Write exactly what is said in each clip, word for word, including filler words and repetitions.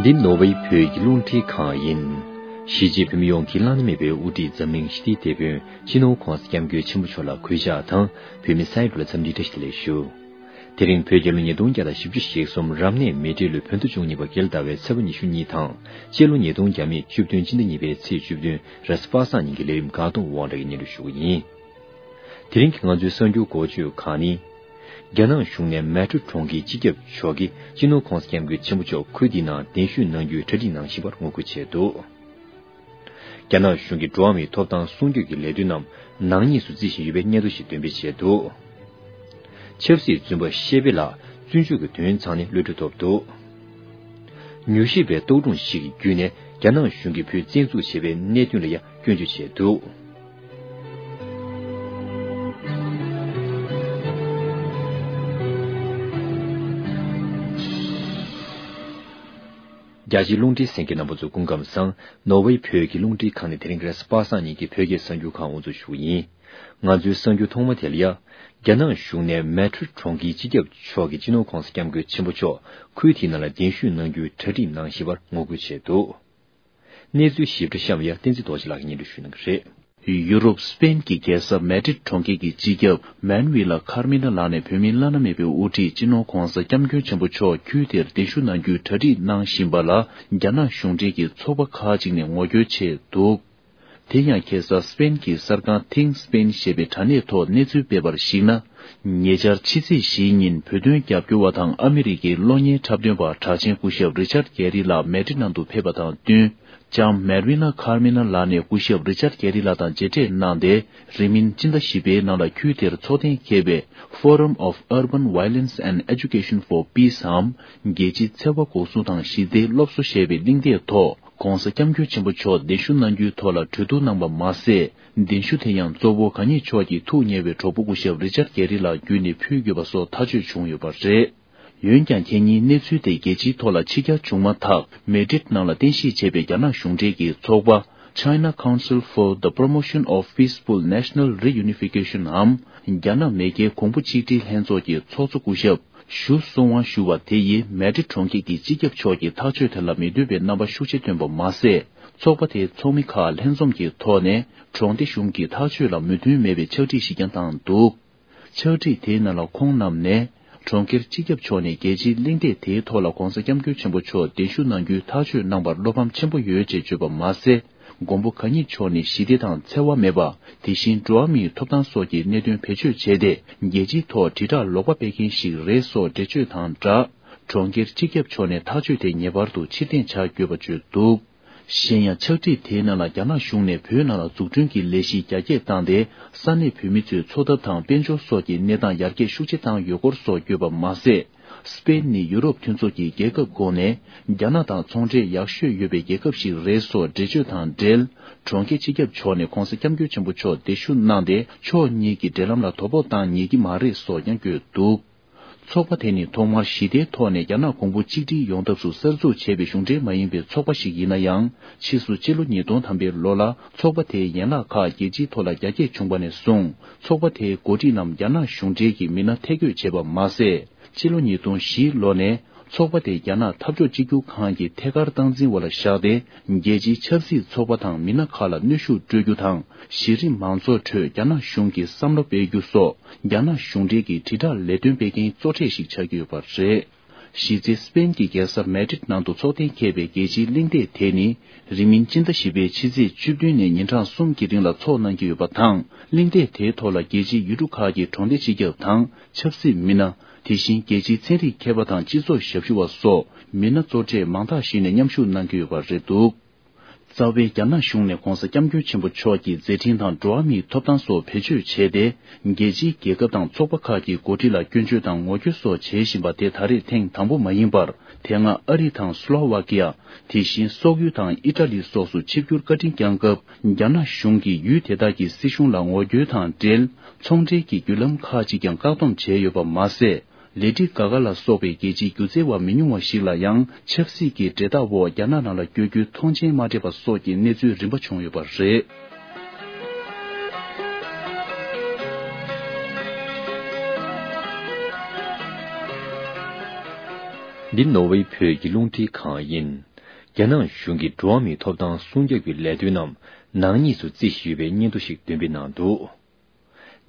འདི་ནོར་ཝེ་བོད་ཀྱི་རླུང་འཕྲིན་ཁང་ཡིན། གཞིས་བྱེས་བོད་མི་ཡོངས་ཀྱི་བླ་ན་མེད་པའི་དབུ་ཁྲིད་འཛམ་གླིང་ཞི་བདེའི་དེད་དཔོན་སྤྱི་ནོར་༧གོང་ས་༧སྐྱབས་མགོན་ཆེན་པོ་མཆོག་ལ་གུས་ཕྱག་དང་། བོད་མི་སའི་ལུགས་ལ་འཚམས་འདྲིའི་བཀྲ་ཤིས་བདེ་ལེགས་ཞུ། དེ་རིང་བོད་རྒྱལ་ལོ་ཉིས་སྟོང་བརྒྱ་དང་བཞི་བཅུ་ཞེ་གསུམ་རབ་གནས་མེ་སྤྲེལ་ལོའི་བོད་ཟླ་བཅུ་གཉིས་པ་རྒྱལ་ཟླ་བའི་ཚེས་པ་ཉི་ཤུ་གཉིས་དང་། སྤྱི་ལོ་ཉིས་སྟོང་བརྒྱ་མེད་བཅུ་བདུན་སྤྱི་ཟླ་གཉིས་པའི་ཚེས་བཅུ་བདུན་རེས་གཟའ་པ་སངས་ཉིན་གྱི་ལས་རིམ་དགའ་གདོང་དབང་གྲགས་ཀྱིས་སྙན་སྒྲོན་ཞུ་གི་ཡིན། དེ་རིང་གི་ང་ཚོའི་གསར་འགྱུར་འགོ་བརྗོད་ཁག་ནི། རྒྱ་ནག་གཞུང་ནས་མེ་ཏྲོ་གྲོང་ཁྱེར་སྤྱི་ཁྱབ་མཆོག་གིས་སྤྱི་ནོར་༧གོང་ས་༧སྐྱབས་མགོན་ཆེན་པོ་མཆོག་ཁུལ་དེའི་ནང་གདན་ཞུ་གནང་རྒྱུའི་གྲ་སྒྲིག་གནང་བཞིན་པར་ངོ་རྒོལ་བྱས་འདུག་རྒྱ་ནག་གཞུང་གིས་འགྲོ་བ་མིའི་ཐོབ་ཐང་སྲུང་སྐྱོབ་ཀྱི་ལས་དོན་རྣམས་ནག་ཉེས་སུ་བརྩི་བཞིན་ཡོད་པའི་སྙན་ཐོ་ཞིག་འདོན་སྤེལ་བྱས་འདུག་ཆབ་སྲིད་བཙོན་པ་ཤེ་པེ་ལགས་བཙོན་འཇུག་གི་དོན་ཚང་ནས་གློད་གྲོལ་ཐོབ་འདུག་མྱུལ་ཞིབ་པའི་རྟོག་སྒྲུང་ཞིག་གི་བརྒྱུད་ནས་རྒྱ་ནག་གཞུང་གིས་བོད་བཙན་འཛུལ་བྱས་པའི་གནད་དོན་ལ་ཡང་སྐྱོན་བརྗོད་བྱས་འདུག་རྒྱ་ཆེའི་རླུང་འཕྲིན་གསན་མཁན་རྣམ་པ་ཚོ་སྐུ་ཁམས་བཟང་། ནོར་ཝེ་བོད་ཀྱི་རླུང་འཕྲིན་ཁང་ནས་དེ་རིང་རེས་གཟའ་པ་སངས་ཉིན་གྱི་བོད་སྐད་གསར་འགྱུར་ཁག་དབུ་འཛུགས་ཞུ་གི་ཡིན། ང་ཚོའི་གསར་འགྱུར་ཐོག་མ་དེ་ལ་ཡ། རྒྱ་ནག་གཞུང་ནས་མེ་ཏྲོ་གྲོང་ཁྱེར་སྤྱི་ཁྱབ་མཆོག་གིས་སྤྱི་ནོར་༧གོང་ས་༧སྐྱབས་མགོན་ཆེན་པོ་མཆོག་ཁུལ་དེའི་ནང་ལ་གདན་ཞུ་གནང་རྒྱུའི་གྲ་སྒྲིག་གནང་བཞིན་པར་ངོ་རྒོལ་བྱས་འདུག་གནས་ཚུལ་ཞིབ་ཕྲ་གཤམ་ཡ་བསྟན་འཛིན་རྡོ་རྗེ་ལགས་ཀྱིས་སྙན་སྒྲོན་ཞུ་གནང་གི་རེད། ཡུ་རོབ་སི་པེན་གྱི་རྒྱལ་ས་མེ་ཏྲིད་གྲོང་ཁྱེར་གྱི་སྤྱི་ཁྱབ་མན་ཝི་ལ་ཁར་མི་ན་ལགས་ནས་བོད་མིའི་བླ་ན་མེད་པའི་དབུ་ཁྲིད་སྤྱི་ནོར་༧གོང་ས་༧སྐྱབས་མགོན་ཆེན་པོ་མཆོག་ཁུལ་དེར་གདན་ཞུ་གནང་རྒྱུའི་གྲ་སྒྲིག་གནང་བཞིན་པ་ལ་རྒྱ་ནག་གཞུང་འབྲེལ་གྱི་ཚོགས་པ་ཁག་ཅིག་ནས་ངོ་རྒོལ་བྱས་འདུག་དེ་ཡང་ཁ་སང་སི་པེན་གྱི་གསར་ཁང་Think Spain ཞེས་པའི་དྲ་གནས་ཐོག་གནས་ཚུལ་སྤེལ་བར་གཞིགས་ན། ཉེ་ཆར་ཕྱི་ཚེས་བཞིའི་ཉིན་བོད་དོན་རྒྱབ་སྐྱོར་བ་དང་ཨ་མི་རི་ཀའི་གློག་བརྙན་འཁྲབ་སྟོན་པ་གྲགས་ཅན་སྐུ་ཞབས་རི་ཆར་གྷེ་རི་ལགས་མེ་ཏྲི་ནང་དུ་ཕེབས་པ་དང་བསྟུན། ལྕམ་མེར་ཝི་ན་ཁར་མི་ན་ལགས་ནས་སྐུ་ཞབས་རི་ཆར་གྷེ་རི་ལགས་དང་མཇལ་འཕྲད་གནང་སྟེ། རིང་མིན་སྤྱི་ཟླ་བཞི་པའི་ནང་ལ་ཁུལ་དེར་འཚོགས་གཏན་འཁེལ་བའི་Forum of Urban Violence and Education for Peace འམ། རྒྱལ་སྤྱིའི་འཚེ་བ་འགོག་སྲུང་དང་ཞི་བདེའི་སློབ་གསོ་ཞེས་པའི་གླེང་སྟེགས་ཐོག ༸གོང་ས་༸སྐྱབས་མགོན་ཆེན་པོ་མཆོག་གདན་ཞུ་གནང་རྒྱུའི་ཐོག་ལ་གྲོས་བསྡུར་གནང་པ་མ་ཟད། གདན་ཞུ་དེ་ཡང་གཙོ་བོ་གང་ཉིད་མཆོག་གི་ཐུགས་ཉེ་བའི་གྲོགས་པོ་སྐུ་ཞབས་རི་ཅར་གྷེ་རི་ལགས་བརྒྱུད་ནས་ཕུལ་དགོས་པ་སོགས་ཐག་གཅོད་བྱུང་ཡོད་པ་རེད། འོན་ཀྱང་ཁ་ཉིན་གནས་ཚུལ་དེ་རྒྱལ་སྤྱིའི་ཐོག་ལ་ཕྱི་གྱར་བྱུང་མ་ཐག་མེ་ཏྲིད་ནང་ལ་རྟེན་གཞི་བྱས་པའི་རྒྱ་ནག་གཞུང་འབྲེལ་གྱི་ཚོགས་པ་China Council for the Promotion of Peaceful National Reunification འམ། རྒྱ་ནག་མེས་རྒྱལ་གོང་བུ་གཅིག་སྒྲིལ་ལྷན་ཚོགས་ཀྱི་ཚོགས་གཙོ་སྐུ་ཞབས། ཞུ་སུང་ཝང་ཞུ་བ་དེ་ཡིས་མེ་ཏྲི་གྲོང་ཁྱེར་གྱི་སྤྱི་ཁྱབ་མཆོག་གི་ཐག་གཅོད་དེ་ལ་མི་འདོད་པའི་རྣམ་པ་ཤུགས་ཆེ་བཏོན་པ་མ་ཟད། ཚོགས་པ་དེའི་ཚོགས་མི་ཁག་ལྷན་འཛོམས་ཀྱི་ཐོག་ནས་གྲོང་སྡེ་གཞུང་གི་ཐག་གཅོད་ལ་མོས་མཐུན་མེད་པའི་ཕྱག་བྲིས་ཤིག་ཀྱང་བཏང་འདུག་ཕྱག་བྲིས་དེའི་ནང་ལ་ཁོང་རྣམས་ནས། གྲོང་ཁྱེར་སྤྱི་ཁྱབ་མཆོག་ནས་རྒྱལ་སྤྱིའི་གླེང་སྟེགས་དེའི་ཐོག་ལ་༸གོང་ས་༸སྐྱབས་མགོན་ཆེན་པོ་མཆོག་གདན་ཞུ་གནང་རྒྱུའི་ཐག་གཅོད་གནང་བར་བློ་ཕམ་ཆེན་པོ་ཡོད་ཅེས་བརྗོད་པ་མ་ཟད། མགོན་པོ་གང་ཉིད་མཆོག་ནི་ཞི་བདེ་དང་འཚེ་བ་མེད་པ། དེ་བཞིན་འགྲོ་བ་མིའི་ཐོབ་ཐང་སོགས་ཀྱི་གནད་དོན་བེད་སྤྱོད་བྱས་ཏེ། རྒྱལ་སྤྱིའི་ཐོག་དྲིལ་བསྒྲགས་ལོག་པ་སྤེལ་མཁན་ཞིག་རེད་སོགས་འགྲེལ་བརྗོད་དང་སྦྲགས། གྲོང་ཁྱེར་སྤྱི་ཁྱབ་མཆོག་ནས་ཐག་གཅོད་དེ་ངེས་པར་དུ་ཕྱིར་འཐེན་བྱ་དགོས་པ་བརྗོད་འདུག་གཞན་ཡང་ཕྱག་བྲིས་དེའི་ནང་ལ་རྒྱ་ནག་གཞུང་ནས་བོད་ནང་ལ་འཛུགས་སྐྲུན་གྱི་ལས་གཞི་རྒྱ་སྐྱེད་བཏང་སྟེ། ས་གནས་བོད་མི་ཚོའི་འཚོ་ཐབས་དང་དཔལ་འབྱོར་སོགས་ཀྱི་གནས་སྟངས་ཡར་རྒྱས་ཤུགས་ཆེ་བཏང་ཡོད་སྐོར་སོགས་བརྗོད་པ་མ་ཟད། སི་པེན་ནི་ཡུ་རོབ་མཐུན་ཚོགས་ཀྱི་རྒྱལ་ཁབ་ཁོངས་ནས་རྒྱ་ནག་དང་ཚོང་འབྲེལ་ཡག་ཤོས་ཡོད་པའི་རྒྱལ་ཁབ་ཞིག་རེད་སོགས་འགྲེལ་བརྗོད་དང་འབྲེལ། གྲོང་ཁྱེར་སྤྱི་ཁྱབ་མཆོག་ནས་༸གོང་ས་༸སྐྱབས་མགོན་ཆེན་པོ་མཆོག་གདན་ཞུ་གནང་སྟེ། ཕྱོགས་གཉིས་ཀྱི་འབྲེལ་ལམ་ལ་དོ་ཕོག་བཏང་ཉེས་ཀྱི་མ་རེད་སོགས་ཀྱང་བཀོད་འདུག་ཚོགས་པ་དེ་ནི་ཐོག་མར་ཞི་བདེའི་ཐོག་ནས་རྒྱ་ནག་གོང་བུ་གཅིག་སྒྲིལ་ཡོང་ཐབས་སུ་གསར་འཛུགས་བྱས་པའི་གཞུང་འབྲེལ་མ་ཡིན་པའི་ཚོགས་པ་ཞིག་ཡིན་ན་ཡང་། ཕྱིས་སུ་ཕྱི་ལོ་ཉིས་སྟོང་ཐམ་པའི་ལོ་ལ་ཚོགས་པ་དེའི་ཡན་ལག་ཁག་རྒྱལ་སྤྱིའི་ཐོག་ལ་རྒྱ་སྐྱེད་བྱུང་བ་ནས་བཟུང་། ཚོགས་པ་དེའི་འགོ་ཁྲིད་རྣམས་རྒྱ་ནག་གཞུང་འབྲེལ་གྱི་མི་སྣ་ཐད་བསྐོས་བྱས་པ་མ་ཟད། ཕྱི་ལོ་ཉིས་སྟོང་བཞི་ལོ་ནས་ཚོགས་པ་དེ་རྒྱ་ནག་འཐབ་ཕྱོགས་གཅིག་གྱུར་ཁང་གི་ཐད་ཀར་སྟངས་འཛིན་འོག་ལ་བཞག་སྟེ། རྒྱལ་སྤྱིའི་ཆབ་སྲིད་ཚོགས་པ་དང་མི་སྣ་ཁག་ལ་གནོན་ཤུགས་སྤྲོད་རྒྱུ་དང་། གཞི་རིམ་མང་ཚོགས་ཁྲོད་རྒྱ་ནག་གཞུང་གི་བསམ་བློ་སྤེལ་རྒྱུ་སོགས། རྒྱ་ནག་གཞུང་འབྲེལ་གྱི་དྲིལ་བསྒྲགས་ལས་དོན་སྤེལ་མཁན་གཙོ་གྲས་ཤིག་ཆགས་ཀྱི་ཡོད་པ་རེད། གཞི་རྩའི་སི་པེན་གྱི་རྒྱལ་ས་མེ་ཏྲིད་ནང་དུ་ཚོགས་གཏན་འཁེལ་བའི་རྒྱལ་སྤྱིའི་གླེང་སྟེགས་དེ་ནི། རིང་མིན་སྤྱི་ཟླ་བཞི་པའི་ཕྱི་ཚེས་བཅུ་བདུན་ནས་ཉིན་གྲངས་གསུམ་གྱི་རིང་ལ་འཚོགས་གནང་གི་ཡོད་པ་དང་། གླེང་སྟེགས་དེའི་ཐོག་ལ་རྒྱལ་སྤྱིའི་ཡུལ་གྲུ་ཁག་གི་གྲོང་སྡེ་སྤྱི་ཁྱབ་དང་། ཆབ་སྲིད་མི་སྣ། དེ་བཞིན་རྒྱལ་སྤྱིའི་ཚན་རིག་མཁས་པ་དང་སྤྱི་ཚོགས་ཞབས་ཞུ་བ་སོགས་མི་སྣ་གཙོ་གྲས་མང་དག་ཞིག་ནས་མཉམ་ཞུགས་གནང་གི་ཡོད་པ་རེད་འདུག་རྩ་བའི་རྒྱ་ནག་གཞུང་ནས་༸གོང་ས་༸སྐྱབས་མགོན་ཆེན་པོ་མཆོག་གི་མཛད་འཕྲིན་དང་འགྲོ་བ་མིའི་ཐོབ་ཐང་སོགས་བེད་སྤྱོད་བྱས་ཏེ། རྒྱལ་སྤྱིའི་རྒྱལ་ཁབ་དང་ཚོགས་པ་ཁག་གི་འགོ་ཁྲིད་ལ་སྐྱོན་བརྗོད་དང་ངོ་རྒོལ་སོགས་བྱེད་བཞིན་པ་དེ་ད་རེས་ཐེངས་དང་པོ་མ་ཡིན་པར། དེ་སྔ་ཨ་རི་དང་སུ་ལོ་ཝ་ཀི་ཡ། དེ་བཞིན་སོག་ཡུལ་དང་ཨི་ཊ་ལི་སོགས་སུ་ཆིབས་བསྒྱུར་བཀའ་དྲིན་བསྐྱངས་སྐབས། རྒྱ་ནག་གཞུང་གིས་ཡུལ་དེ་དག་གི་སྲིད་གཞུང་ལ་ངོ་རྒོལ་དང་འབྲེལ། ཚོང་འབྲེལ་གྱི་བརྒྱུད་ལམ་ཁག་ཅིག་ཀྱང་བཀག་སྡོམ་བྱས་ཡོད་པ་མ་ཟད། ལེ་ཌི་ག་ག་ལ་སོགས་པའི་རྒྱལ་སྤྱིའི་སྒྱུ་རྩལ་བ་མི་ཉུང་བ་ཞིག་ལ་ཡང་ཆབ་སྲིད་ཀྱི་འབྲེལ་ཐག་འོག་རྒྱ་ནག་ནང་ལ་བསྐྱོད་རྒྱུའི་ཐོངས་མཆན་མ་སྤྲད་པ་སོགས་ཀྱི་གནས་ཚུལ་རིམ་པ་བྱུང་ཡོད་པ་རེད། འདི་ནོར་ཝེ་བོད་ཀྱི་རླུང་འཕྲིན་ཁང་ཡིན། རྒྱ་ནག་གཞུང་གིས་འགྲོ་བ་མིའི་ཐོབ་ཐང་སྲུང་སྐྱོབ་ཀྱི་ལས་དོན་རྣམས་ནག་ཉེས་སུ་བརྩི་བཞིན་ཡོད་པའི་སྙན་ཐོ་ཞིག་འདོན་སྤེལ་གནང་འདུག།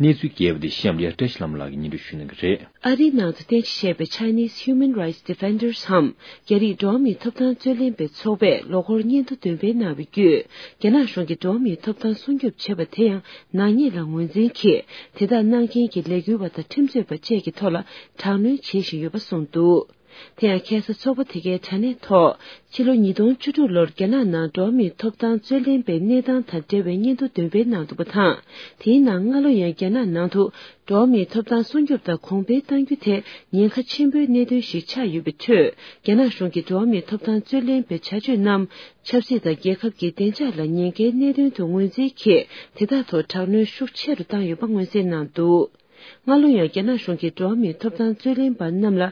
གནས་ཚུལ་རྒྱས་པ་དེ་གཤམ་ལ་བཀྲ་ཤིས་ལྷ་མོ་ལགས་ཀྱིས་སྙན་སྒྲོན་ཞུ་གནང་གི་རེད། ཨ་རིའི་ནང་དུ་རྟེན་གཞི་བྱས་པའི་Chinese Human Rights Defenders་འམ། རྒྱ་རིགས་འགྲོ་བ་མིའི་ཐོབ་ཐང་རྩོད་ལེན་པའི་ཚོགས་པས་ལོ་འཁོར་སྙན་ཐོ་འདོན་སྤེལ་གནང་བའི་བརྒྱུད། རྒྱ་ནག་གཞུང་གིས་འགྲོ་བ་མིའི་ཐོབ་ཐང་སྲུང་སྐྱོབ་བྱེད་པ་དེ་ཡང་ནག་ཉེས་ལ་ངོས་འཛིན་གྱིས། དེ་དག་གནང་མཁན་གྱི་ལས་འགུལ་བ་དང་ཁྲིམས་རྩོད་པ་བཅས་ཀྱི་ཐོག་ལ་དྲག་གནོན་བྱེད་བཞིན་ཡོད་པ་གསུངས་འདུག། དེ་ཡང་ཁ་སང་ཚོགས་པ་དེ་གའི་དྲ་གནས་ཐོག་ཕྱི་ལོ་ཉིས་སྟོང་བཅུ་དྲུག་ལོར་རྒྱ་ནག་ནང་འགྲོ་བ་མིའི་ཐོབ་ཐང་རྩོད་ལེན་པའི་གནས་སྟངས་དང་འབྲེལ་བའི་སྙན་ཐོ་འདོན་སྤེལ་གནང་འདུག་པ་དང་། དེའི་ནང་སྔ་ལོ་ཡང་རྒྱ་ནག་ནང་དུ་འགྲོ་བ་མིའི་ཐོབ་ཐང་སྲུང་སྐྱོབ་དང་གོང་འཕེལ་གཏང་རྒྱུ་དེ་ཉེན་ཁ་ཆེན་པོའི་གནད་དོན་ཞིག་ཆགས་ཡོད་པའི་ཁྲོད། རྒྱ་ནག་གཞུང་གིས་འགྲོ་བ་མིའི་ཐོབ་ཐང་རྩོད་ལེན་པའི་བྱ་སྤྱོད་རྣམས་ཆབ་སྲིད་དང་རྒྱལ་ཁབ་ཀྱི་བདེ་འཇགས་ལ་ཉེན་ཁའི་གནད་དོན་དུ་ངོས་འཛིན་གྱིས། དེ་དག་ཐོག་དྲག་གནོན་ཤུགས་ཆེ་རུ་བཏང་ཡོད་པ་མངོན་གསལ་གནང་འདུག། སྔ་ལོ་ཡང་རྒྱ་ནག་གཞུང་གིས་འགྲོ་བ་མིའི་ཐོབ་ཐང་རྩོད་ལེན་པ་རྣམས་ལ་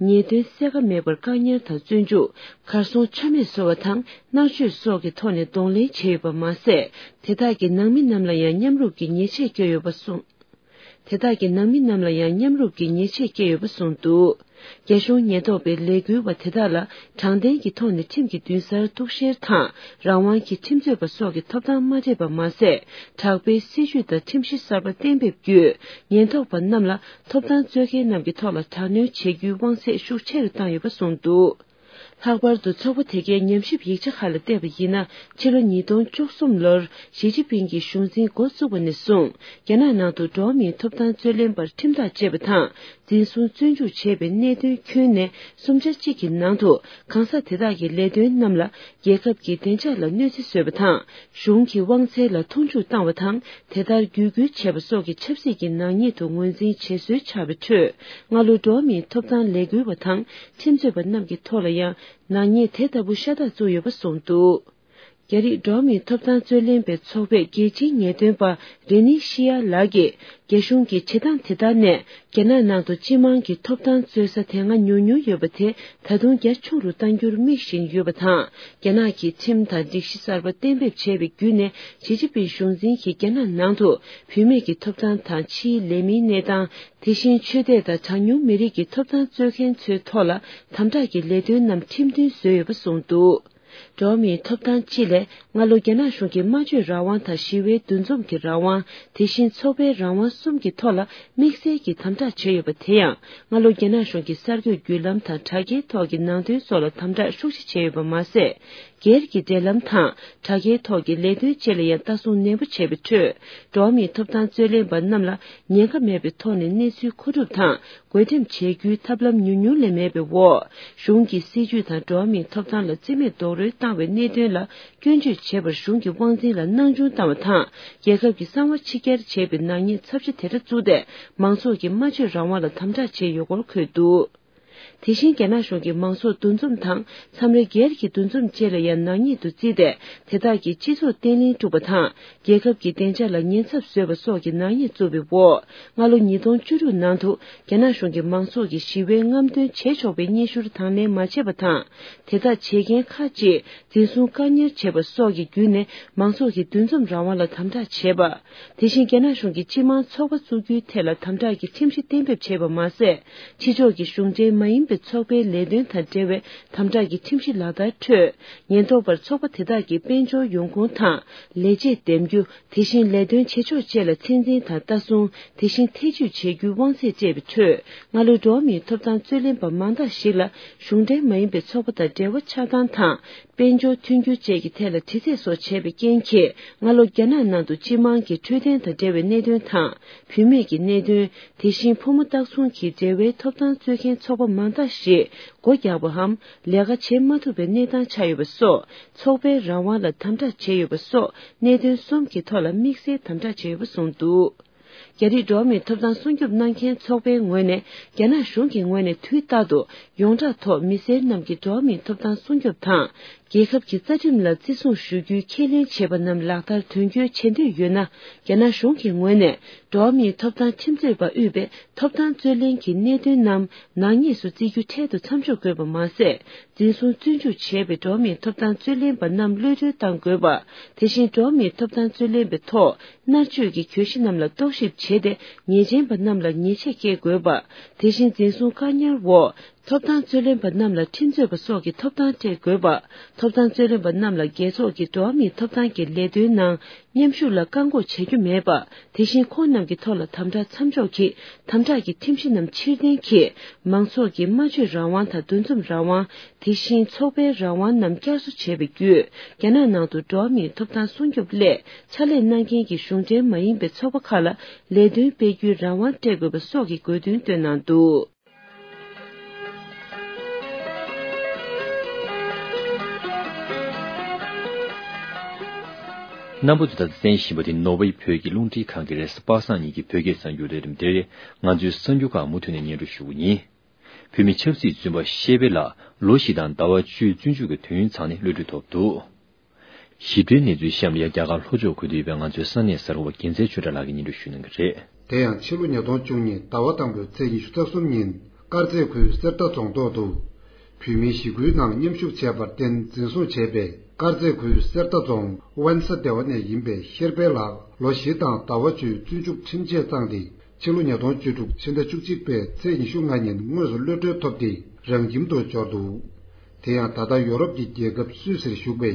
ཉེས་དོན་གསལ་ཁ་མེད་པར་བཀག་ཉར་དང་བཙོན་འཇུག། གར་སོང་ཆ་མེད་བཟོ་བ་དང་མནར་གཅོད་སོགས་ཀྱི་ཐོག་ནས་གདོང་ལེན་བྱས་ཡོད་པ་མ་ཟད། དེ་དག་གི་ནང་མི་རྣམས་ལ་ཡང་མཉམ་རུབ་ཀྱི་ཉེས་ཆད་བཀལ་ཡོད་པ་གསུངས། དེ་དག་གི་ནང་མི་རྣམས་ལ་ཡང་མཉམ་རུབ་ཀྱི་ཉེས་ཆད་བཀལ་ཡོད་པ་གསུངས་འདུག། རྒྱ་གཞུང་ཉེན་རྟོག་པའི་ལས་འགུལ་བ་དེ་དག་ལ་དྲང་བདེན་གྱི་ཐོག་ནས་ཁྲིམས་ཀྱི་མདུན་སར་གཏུག་བཤེར་དང་རང་དབང་གི་ཁྲིམས་རྩོད་པ་སོགས་ཀྱི་ཐོབ་ཐང་མ་སྤྲད་པ་མ་ཟད། དྲག་པོའི་སྲིད་ཇུས་དང་ཁྲིམས་གཞི་གསར་པ་གཏན་འབེབས་བརྒྱུད། ཉེན་རྟོག་པ་རྣམས་ལ་ཐོབ་ཐང་རྩོད་མཁན་རྣམས་ཀྱི་ཐོག་ལ་དྲག་གནོན་བྱེད་རྒྱུའི་དབང་ཚད་ཤུགས་ཆེ་རུ་བཏང་ཡོད་པ་གསུངས་འདུག། ལྷག་པར་དུ་ཚོགས་པ་དེ་གའི་ཉམས་ཞིབ་ཡིག་ཆ་ཁག་ལ་བལྟས་པ་ཡིན་ན། ཕྱི་ལོ་ཉིས་སྟོང་བཅུ་གསུམ་ལོར་ཞི་ཅིན་ཕིང་གིས་གཞུང་འཛིན་འགོ་བཙུགས་པ་ནས་བཟུང་། རྒྱ་ནག་ནང་དུ་འགྲོ་བ་མིའི་ཐོབ་ཐང་རྩོད་ལེན་པར་ཁྲིམས་ཐག་བཅད་པ་དང་། འཛིན་བཟུང་བཙོན་འཇུག་བྱས་པའི་གནད་དོན་ཁྱོན་ནས་གསུམ་ཆ་གཅིག་གི་ནང་དུ། གང་ཟག་དེ་དག་གི་ལས་དོན་རྣམས་ལ་རྒྱལ་ཁབ་ཀྱི་བདེ་འཇགས་ལ་གནོད་འཚེ་བཟོས་པ་དང་། གཞུང་གི་དབང་ཚད་ལ་མཐོང་ཆུང་བཏང་བ་དང་། དེ་ལྟར་བརྒྱུད་སྐུལ་བྱས་པ་སོགས་ཀྱི་ཆབ་སྲིད་ཀྱི་ནག་ཉེས་དུ་ངོས་འཛིན་བྱེད་སྲོལ་ཆགས་པའི་ཁྲོད། སྔ་ལོ་འགྲོ་བ་མིའི་ཐོབ་ཐང་ལས་འགུལ་བ་དང་ཁྲིམས་རྩོད་པ་རྣམས་ཀྱི་ཐོག་ལ་ཡང་ནག་ཉེས་དེ་ལྟ་བུ་ཤ་སྟག་བཙུགས་ཡོད་པ་གསུངས་འདུག། རྒྱ་རིགས་འགྲོ་བ་མིའི་ཐོབ་ཐང་རྩོད་ལེན་པའི་ཚོགས་པའི་རྒྱལ་སྤྱིའི་ངེས་སྟོན་པ་རེ་ནི་ཤི་ཡ་ལགས་ཀྱིས། རྒྱ་གཞུང་གིས་བྱེད་སྟངས་དེ་ལྟར་ནས། རྒྱ་ནག་ནང་དུ་སྤྱི་དམངས་ཀྱི་ཐོབ་ཐང་རྩོད་ས་དེ་སྔ་ཉུང་ཉུང་ཡོད་པ་དེ། ད་དུང་རྒྱ་ཆུང་རུ་གཏང་རྒྱུར་དམིགས་བཞིན་ཡོད་པ་དང་། རྒྱ་ནག་གིས་ཁྲིམས་དང་སྒྲིག་གཞི་གསར་པ་གཏན་འབེབས་བྱས་པའི་བརྒྱུད་ནས། ཞི་ཅིན་ཕིང་གཞུང་འཛིན་གྱིས་རྒྱ་ནག་ནང་དུ་བུད་མེད་ཀྱི་ཐོབ་ཐང་དང་ཕྱིའི་ལས་མིའི་གནས་སྟངས། དེ་བཞིན་ཆོས་དད་དང་གྲངས་ཉུང་མི་རིགས་ཀྱི་ཐོབ་ཐང་རྩོད་མཁན་ཚོའི་ཐོག་ལ་དམ་དྲག་གི་ལས་དོན་རྣམས་ཁྲིམས་མཐུན་བཟོས་ཡོད་པ་གསུངས་འདུག། འགྲོ་བ་མིའི་ཐོབ་ཐང་སྤྱི་ལས་སྔ་ལོ་རྒྱ་ནག་གཞུང་གིས་སྨྲ་བརྗོད་རང་དབང་དང་ཞི་བའི་འདུ་འཛོམས་ཀྱི་རང་དབང་། དེ་བཞིན་ཚོགས་པའི་རང་དབང་གསུམ་གྱི་ཐོག་ལ་དམིགས་བསལ་གྱིས་དམ་དྲག་བྱས་ཡོད་པ་དེ་ཡང་། སྔ་ལོ་རྒྱ་ནག་གཞུང་གིས་གསར་འགོད་བརྒྱུད་ལམ་དང་དྲ་རྒྱའི་ཐོག་གི་ནང་དོན་སོགས་ལ་དམ་དྲག་ཤུགས་ཆེ་བྱས་ཡོད་པ་མ་ཟད། སྒེར་གྱི་འབྲེལ་ལམ་དང་དྲ་རྒྱའི་ཐོག་གི་ལས་དོན་བཅས་ལ་ཡང་ལྟ་སྲུང་ནན་པོ་བྱས་པའི་ཁྲོད། འགྲོ་བ་མིའི་ཐོབ་ཐང་རྩོད་ལེན་པ་རྣམས་ལ་ཉེན་ཁ་མེད་པའི་ཐོག་ནས་གནས་ཚུལ་མཁོ་སྒྲུབ་དང་། བགོ་འགྲེམས་བྱེད་རྒྱུའི་ཐབས་ལམ་ཉུང་ཉུང་ལས་མེད་པའི་འོག། གཞུང་གི་སྲིད་ཇུས་དང་འགྲོ་བ་མིའི་ཐོབ་ཐང་ལ་བརྩི་མེད་རྡོག་རོལ་བཏང་བའི་གནད་དོན་ལ་སྐྱོན་བརྗོད་བྱེད་པར་གཞུང་གི་དབང་འཛིན་ལ་སྣང་ཆུང་བཏང་བ་དང་། རྒྱལ་ཁབ་ཀྱི་གསང་བ་ཕྱི་གྱར་བྱས་པའི་ནག་ཉེས་ཚབས་ཆེ་དེ་འདྲ་བཙུགས་ཏེ། མང་ཚོགས་ཀྱི་སྨྲ་བརྗོད་རང་དབང་ལ་དམ་དྲག་བྱས་ཡོད་སྐོར་འཁོད་འདུག། དེ་བཞིན་རྒྱ་ནག་གཞུང་གིས་མང་ཚོགས་འདུ་འཛོམས་དང་མཚམས་རེ་སྒེར་གྱི་འདུ་འཛོམས་བཅས་ལ་ཡང་ནག་ཉེས་དུ་བརྩིས་ཏེ། དེ་དག་གིས་སྤྱི་ཚོགས་བརྟན་ལྷིང་དཀྲུག་པ་དང་། རྒྱལ་ཁབ་ཀྱི་བདེ་འཇགས་ལ་ཉེན་ཚབས་བཟོས་པ་སོགས་ཀྱི་ནག་ཉེས་བཙུགས་པའི་འོག། སྔ་ལོ་ཉིས་སྟོང་བཅུ་དྲུག་ནང་དུ་རྒྱ་ནག་གཞུང་གིས་མང་ཚོགས་ཀྱི་ཞི་བའི་རྔམ་སྟོན་བྱེད་ཆོག་པའི་སྙན་ཞུར་དང་ལེན་མ་བྱས་པ་དང་། དེ་དག་བྱེད་མཁན་ཁག་ཅིག་འཛིན་བཟུང་བཀག་ཉར་བྱས་པ་སོགས་ཀྱི་བརྒྱུད་ནས་མང་ཚོགས་ཀྱི་འདུ་འཛོམས་རང་དབང་ལ་དམ་དྲག་བྱས་པ། དེ་བཞིན་རྒྱ་ནག་གཞུང་གིས་སྤྱི་དམངས་ཚོགས་པ་བཙུགས་རྒྱུའི་ཐད་ལ་དམ་དྲག་གི་ཁྲིམས་གཞི་གཏན་འབེབས་བྱས་པ་མ་ཟད། ཕྱི་ཕྱོགས་ཀྱི་གཞུང་འབྲེལ་མ་ཡིན་པའི་ཚོགས་པའི་ལས་དོན་དང་འབྲེལ་བའི་དམ་དྲག་གི་ཁྲིམས་གཞི་ལག་བསྟར་ཁྲོད། ཉེན་རྟོག་པར་ཚོགས་པ་དེ་དག་གི་དཔལ་འབྱོར་ཡོང་ཁུངས་དང་། ལས་བྱེད་འདེམས་རྒྱུ། དེ་བཞིན་ལས་དོན་བྱེད་ཕྱོགས་བཅས་ལ་ཚད་འཛིན་དང་ལྟ་སྲུང་། དེ་བཞིན་ཐེ་ཇུས་བྱེད་རྒྱུའི་དབང་ཚད་སྤྲད་པའི་ཁྲོད། སྔ་ལོའི་འགྲོ་བ་མིའི་ཐོབ་ཐང་རྩོད་ལེན་པ་མང་དག་ཞིག་ལ་གཞུང་འབྲེལ་མ་ཡིན་པའི་ཚོགས་པ་དང་འབྲེལ་བ་ཆགས་སྟངས་དང་། དཔལ་འབྱོར་མཐུན་འགྱུར་བཅས་ཀྱི་ཐད་ལ་དྲི་རྩད་སོགས་བྱས་པའི་རྐྱེན་གྱིས། སྔ་ལོ་རྒྱ་ནག་ནང་དུ་སྤྱི་དམངས་ཀྱི་འཕྲོད་བསྟེན་དང་འབྲེལ་བའི་གནད་དོན་དང་། བུད་མེད་ཀྱི་གནད་དོན། དེ་བཞིན་ཕོ་མོ་སྟག་ཚང་གི་འབྲེལ་བའི་ཐོབ་ཐང་རྩོད་མཁན་ཚོགས་པ་མང་དག་ཞིག་སྒོ་རྒྱག་པའམ། ལས་ཀ་བྱེད་མ་ཐུབ་པའི་གནས་སྟངས་ཆགས་ཡོད་པ་སོགས། ཚོགས་པའི་རང་དབང་ལ་དམ་དྲག་བྱས་ཡོད་པ་སོགས། གནད་དོན་གསུམ་གྱི་ཐོག་ལ་དམིགས་བསལ་དམ་དྲག་བྱས་ཡོད་པ་གསུངས་འདུག། རྒྱ་རིགས་འགྲོ་བ་མིའི་ཐོབ་ཐང་སྲུང་སྐྱོབ་གནང་མཁན་ཚོགས་པའི་ངོས་ནས། རྒྱ་ནག་གཞུང་གི་ངོས་ནས་དུས་རྟག་ཏུ་ཡོངས་གྲགས་ཐོག་མི་སེར་རྣམས་ཀྱི་འགྲོ་བ་མིའི་ཐོབ་ཐང་སྲུང་སྐྱོབ་དང་། རྒྱལ་ཁབ་ཀྱི་རྩ་ཁྲིམས་ལ་བརྩི་སྲུང་ཞུ་རྒྱུའི་ཁས་ལེན་བྱས་པ་རྣམས་ལག་བསྟར་དོན་འཁྱོལ་བྱེད་འདོད་ཡོད་ན། རྒྱ་ནག་གཞུང་གི་ངོས་ནས་འགྲོ་བ་མིའི་ཐོབ་ཐང་ཁྲིམས་རྩོད་པ་དབུས་པའི་ཐོབ་ཐང་རྩོད་ལེན་གྱི་གནད་དོན་རྣམས་ནག་ཉེས་སུ་བརྩི་རྒྱུ་འཕྲལ་དུ་མཚམས་འཇོག་དགོས་པ་མ་ཟད། འཛིན་བཟུང་བཙོན་འཇུག་བྱས་པའི་འགྲོ་བ་མིའི་ཐོབ་ཐང་རྩོད་ལེན་པ་རྣམས་གློད་གྲོལ་གཏང་དགོས་པ། དེ་བཞིན་འགྲོ་བ་མིའི་ཐོབ་ཐང་རྩོད་ལེན་པའི་ཐོག་མནར་གཅོད་ཀྱི་གྱོད་གཞི་རྣམས་ལ་རྟོག་ཞིབ་བྱས་ཏེ། ཉེས་ཅན་པ་རྣམས་ལ་ཉེས་ཆད་བཀལ་དགོས་པ། དེ་བཞིན་འཛིན་བཟུང་བཀག་ཉར་འོག་ཐོབ་ཐང་རྩོད་ལེན་པ་རྣམས་ལ་ཁྲིམས་རྩོད་པ་སོགས་ཀྱི་ཐོབ་ཐང་སྤྲད་དགོས་པ། ཐོབ་ཐང་རྩོད་ལེན་པ་རྣམས་ལ་རྒྱལ་ཚོགས་ཀྱི་འགྲོ་བ་མིའི་ཐོབ་ཐང་གི་ལས་དོན་ནང་མཉམ་ཞུགས་ལ་བཀག་འགོག་བྱ་རྒྱུ་མེད་པ། དེ་བཞིན་ཁོང་རྣམས་ཀྱི་ཐོག་ལ་དམ་དྲག་མཚམས་འཇོག་གིས་དམ་དྲག་གི་ཁྲིམས་གཞི་རྣམས་ཕྱིར་འཐེན་གྱིས། མང་ཚོགས་ཀྱི་སྨྲ་བརྗོད་རང་དབང་དང་འདུ་འཛོམས་རང་དབང་། དེ་བཞིན་ཚོགས་པའི་རང་དབང་རྣམས་བསྐྱར་གསོ་བྱས་པའི་བརྒྱུད། རྒྱ་ནག་ནང་དུ་འགྲོ་བ་མིའི་ཐོབ་ཐང་སྲུང་སྐྱོབ་སླད་ཕྱག་ལས་གནང་མཁན་གྱི་གཞུང་འབྲེལ་མ་ཡིན་པའི་ཚོགས་པ་ཁག་ལ་ལས་དོན་སྤེལ་རྒྱུའི་རང་དབང་སྤྲད་དགོས་པ་སོགས་ཀྱི་དགོས་འདུན་བཏོན་གནང་འདུག། རྣམ་པ་ཚོས་ད་ལྟ་གསན་བཞིན་པ་དེ་ནོར་ཝེ་བོད་ཀྱི་རླུང་འཕྲིན་ཁང་གི་རེས་གཟའ་པ་སངས་ཉིན་གྱི་བོད་སྐད་གསར་འགྱུར་ལས་རིམ་དེ་རེད། ང་ཚོའི་གསར་འགྱུར་ཁག་མུ་མཐུད་ནས་སྙན་སྒྲོན་ཞུ་གི་ཡིན། བོད་མི་ཆབ་སྲིད་བཙོན་པ་ཤེས་དཔལ་ལགས་ལོ་བཞི་དང་ཟླ་བ་བཅུ་བཙོན་འཇུག་གི་དུས་ཡུན་ཚང་ནས་གློད་གྲོལ་ཐོབ་འདུག། ཞིབ་ཕྲའི་གནས་ཚུལ་གཤམ་ལ་ཡ་རྒྱ་གར་ལྷོ་ཕྱོགས་ཁུལ་དུ་ཡོད་པའི་ང་ཚོའི་ས་གནས་གསར་འགོད་པ་རྒྱལ་མཚན་ཆོས་གྲགས་ལགས་ཀྱིས་སྙན་སྒྲོན་ཞུ་གནང་གི་རེད། དེ་ཡང་ཕྱི་ལོ་ཉིས་སྟོང་བཅུ་གཉིས་ཟླ་བ་དང་པོའི་ཚེས་ཉི་ཤུ་རྩ་གསུམ་ཉིན་དཀར་མཛེས་ཁུལ་གསེར་རྟ་རྫོང་ཐོག་ཏུ་བོད་མིའི་ཞི་རྒོལ་ནང་མཉམ་ཞུགས་བྱས་པར་བརྟེན་འཛིན་བཟུང་བྱས་པའི་དཀར་མཛེས་ཁུལ་གསེར་རྟ་རྫོང་ཝན་ས་སྡེ་བ་ནས་ཡིན་པའི་ཤེར་དཔལ་ལགས་ལོ་བཞི་དང་ཟླ་བ་བཅུའི་བཙོན་འཇུག་ཁྲིམས་ཆད་བཏང་སྟེ། ཕྱི་ལོ་ཉིས་སྟོང་བཅུ་དྲུག་ཕྱི་ཟླ་བཅུ་གཅིག་པའི་ཚེས་ཉི་ཤུ་ལྔ་ཉིན་དངོས་སུ་གློད་གྲོལ་ཐོབ་སྟེ་རང་ཁྱིམ་དུ་འབྱོར་འདུག། དེ་ཡང་ད་ལྟ་ཡོ་རོབ་ཀྱི་རྒྱལ་ཁབ་སུད་སིར་བཞུགས་པའི་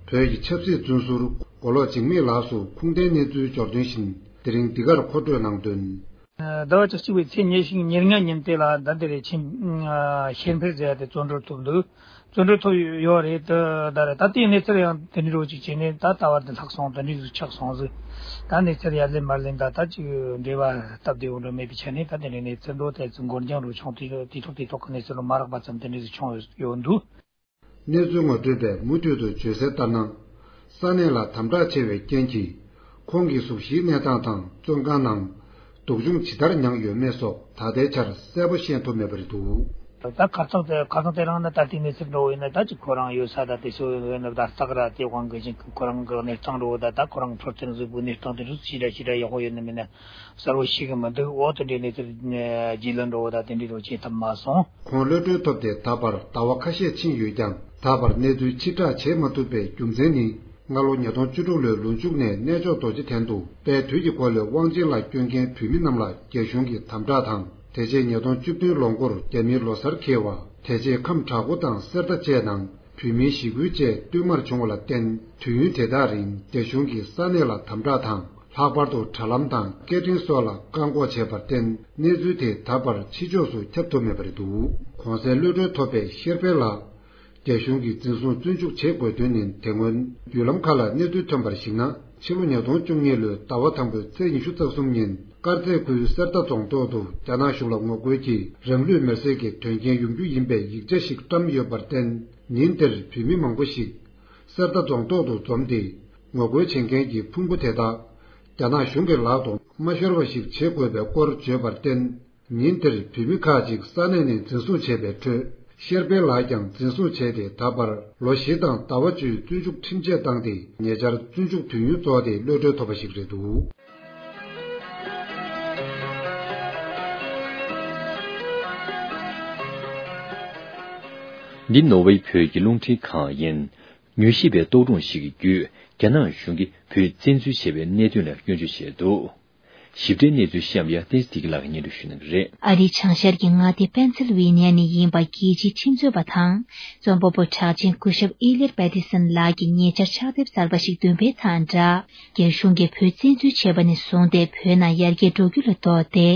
བོད་ཀྱི་ཆབ་སྲིད་བཙོན་ཟུར་མགོ་ལོག་འཇིགས་མེད་ལགས་སུ་ཁུངས་ལྡན་གནས་ཚུལ་འབྱོར་དོན་བཞིན། དེ་རིང་འདི་གར་མཁོ་སྤྲོད་གནང་དོན། ཟླ་བ་བཅུ་གཅིག་པའི་ཚེས་ཉེར་གཅིག་ཉེར་ལྔ་ཉིན་དེ་ལ་ད་འདི་རེད། ཆིན་ཤེར་འཕེལ་ཟེར་ཡ་དེ་བཙོན་གྲོལ་ཐོབ་འདུག། བཙོན་གྲོལ་ཐོབ་ཡོད་རེད། ད་ད་རེད། ད་ལྟའི་གནས་ཚུལ་ཡང་དེ་འདྲ་རོ་ཅིག་བྱས་ནས་ད་ལྟ་བར་དུ་ལྷག་སོང་། དེ་འདྲ་ཞིག་ཆགས་སོང་ཟིག། ད་གནས་ཚུལ་ཡར་ལེན་མར་ལེན་ད་ད་ཅིག་འབྲེལ་བ་སྟབས་བདེ་བོ་འདྲ་མེད་པའི་ཆ་ནས། ད་དེ་འདྲའི་གནས་ཚུལ་འགྲོ་དེ་ཚོ་འགོར་འགྱངས་རུ་བྱུང་། དུས་ཐོག་དུས་ཐོག་གི་གནས་ཚུལ་རུ་མ་རག་པ་ཙམ་དེ་འདྲ་ཞིག་བྱུང་ཡོད་འདུག། གནས་ཚུལ་ངོ་སྤྲོད་པས་མུ་མཐུད་དུ་བརྗོད་གསལ་ལྟར་ན། ས་གནས་ལ་དམ་དྲག་ཆེ་བའི་རྐྱེན་གྱིས། ཁོང་གི་གཟུགས་གཞིའི་གནས་སྟངས་དང་བཙོན་ཁང་ནང་སྡུག་སྦྱོང་ཇི་ལྟར་མྱངས་ཡོད་མེད་སོགས་ད་ལྟའི་ཆར་གསལ་པོ་ཤེས་ཐུབ་མེད་པ་རེད་འདུག། ད་ཁ་སང་དེ་ཁ་སང་དེ་རིང་ནི་ད་ལྟའི་གནས་ཚུལ་འགྲོ་བ་ཡིན་ན། ད་ཅིག་ཁོ་རང་ཡོད་ས་ད་དེ་ཚོ་ཡོད་ན་ད་སྟག་ར་དེ་དབང་གི་ཅིག་ཁོ་རང་གི་གནས་སྟངས་འགྲོ་བ་ད། ད་ཁོ་རང་འཕྲོད་བསྟེན་གཟུགས་པོའི་གནས་སྟངས་དེ་ཚོ་ཞེ་དྲག་ཞེ་དྲག་ཡག་པོ་ཡོད་ན་མིན་ན་གསལ་པོ་ཤེས་གི་མི་འདུག། འོ་དེ་འདྲའི་གནས་ཚུལ་རྗེས་ལུ་འགྲོ་བ་ད་དེ་འདྲའི་རོ་བྱེད་ཐབས་མ་སོང་། ཁོང་གློད་གྲོལ་ཐོབ་སྟེ་ད་བར་ཟླ་བ་ཁ་ཤས་ཕྱིན་ཡོད་ཀྱང་། ད་བར་གནས་ཚུལ་ཕྱིར་བསྒྲགས་བྱེད་མ་ཐུབ་པའི་རྒྱུ་མཚན་ནི། སྔ་ལོ་ཉིས་སྟོང་བཅུ་དྲུག་ལོའི་ལོ་མཇུག་ནས་གནས་མཆོག་རྡོ་རྗེ་གདན་དུ་དཔལ་དུས་ཀྱི་འཁོར་ལོའི་དབང་ཆེན་ལ་བསྐྱོན་མཁན་བོད་མི་རྣམས་ལ་རྒྱ་གཞུང་གིས་དམ་དྲག་དང་། དེ་རྗེས་ཉིས་སྟོང་བཅུ་བདུན་ལོ་འགོར་རྒྱ་མིའི་ལོ་སར་འཁེལ་བ། དེ་རྗེས་ཁམས་བྲག་འགོ་དང་གསེར་རྟ་བཅས་ནང་བོད་མིའི་ཞི་རྒོལ་བཅས་བསྟུད་མར་བྱུང་བ་ལ་བརྟེན། དུས་ཡུན་དེ་དག་རིང་རྒྱ་གཞུང་གིས་ས་གནས་ལ་དམ་དྲག་དང་། ལྷག་པར་དུ་དྲ་ལམ་དང་སྐད་འཕྲིན་སོགས་ལ་བཀག་འགོག་བྱས་པར་བརྟེན། གནས་ཚུལ་དེ་ད་བར་ཕྱི་ཕྱོགས་སུ་ཁྱབ་ཐུབ་མེད་པ་རེད་འདུག། གོང་གསལ་གློད་གྲོལ་ཐོབ་པའི་ཤེར་དཔལ་ལགས། རྒྱ་གཞུང་གིས་འཛིན་བཟུང་བཙོན་འཇུག་བྱེད་དགོས་དོན་ནི། དེ་སྔོན་བརྒྱུད་ལམ་ཁག་ལ་གནས་ཚུལ་ཐོན་པར་གཞིགས་ན། ཕྱི་ལོ་ཉིས་སྟོང་བཅུ་གཉིས་ལོའི་ཟླ་བ་དང་པོའི་ཚེས་ཉི་ཤུ་རྩ་གསུམ་ཉིན། དཀར་མཛེས་ཁུལ་གསེར་རྟ་རྫོང་ཐོག་ཏུ་རྒྱ་ནག་གཞུང་ལ་ངོ་རྒོལ་གྱིས་རང་ལུས་མེར་སྲེག་གི་དོན་རྐྱེན་ཡོང་རྒྱུ་ཡིན་པའི་ཡིག་ཆ་ཞིག་བཀྲམ་ཡོད་པར་བརྟེན། ཉིན་དེར་བོད་མི་མང་པོ་ཞིག་གསེར་རྟ་རྫོང་ཐོག་ཏུ་འཛོམས་ཏེ། ངོ་རྒོལ་བྱེད་མཁན་གྱི་ཕུང་པོ་དེ་དག་རྒྱ་ནག་གཞུང་གི་ལག་ཏུ་མ་ཤོར་བ་ཞིག་བྱེད་དགོས་པའི་སྐོར་བརྗོད་པར་བརྟེན། ཉིན་དེར་བོད་མི་ཁག་ཅིག་ས་གནས་ནས་འཛིན་བཟུང་བྱས་པའི་ཁྲོད། ཤེར་དཔལ་ལགས་ཀྱང་འཛིན་བཟུང་བྱས་ཏེ། ད་བར་ལོ་བཞི་དང་ཟླ་བ་བཅུའི་བཙོན་འཇུག་ཁྲིམས་ཆད་བཏང་སྟེ། ཉེ་ཆར་བཙོན་འཇུག་དུས་ཡུན་རྫོགས་ཏེ་གློད་གྲོལ་ཐོབ་པ་ཞིག་རེད་འདུག། འདི་ནོར་ཝེ་བོད་ཀྱི་རླུང་འཕྲིན་ཁང་ཡིན། མྱུལ་ཞིབ་པའི་རྟོག་སྒྲུང་ཞིག་གི་བརྒྱུད། རྒྱ་ནག་གཞུང་གིས་བོད་བཙན་འཛུལ་བྱས་པའི་གནད་དོན་ལ་སྐྱོན་བརྗོད་བྱས་འདུག། ཞིབ་ཕྲའི་གནས་ཚུལ་གཤམ་ཡ་ཏེས་ཏིག་ལགས་ཀྱིས་སྙན་སྒྲོན་ཞུ་གནང་གི་རེད། ཨ་རིའི་བྱང་ཤར་གྱི་མངའ་སྡེ་པེན་སིལ་ཝེ་ནི་ཡ་ནས་ཡིན་པ་རྒྱལ་སྤྱིའི་ཁྲིམས་རྩོད་པ་དང་རྩོམ་པ་པོ་གྲགས་ཅན་སྐུ་ཞབས་ཨེ་ལེར་པེ་ཏི་སན་ལགས་ཀྱིས་ཉེ་ཆར་ཕྱག་དེབ་གསར་པ་ཞིག་འདོན་པའི་མཚམས་བསྒྲགས། རྒྱ་གཞུང་གིས་བོད་བཙན་འཛུལ་བྱས་པ་ནས་བཟུང་སྟེ་བོད་ནང་ཡར་རྒྱས་འགྲོ་རྒྱུ་ལ་ལྡོག་སྟེ།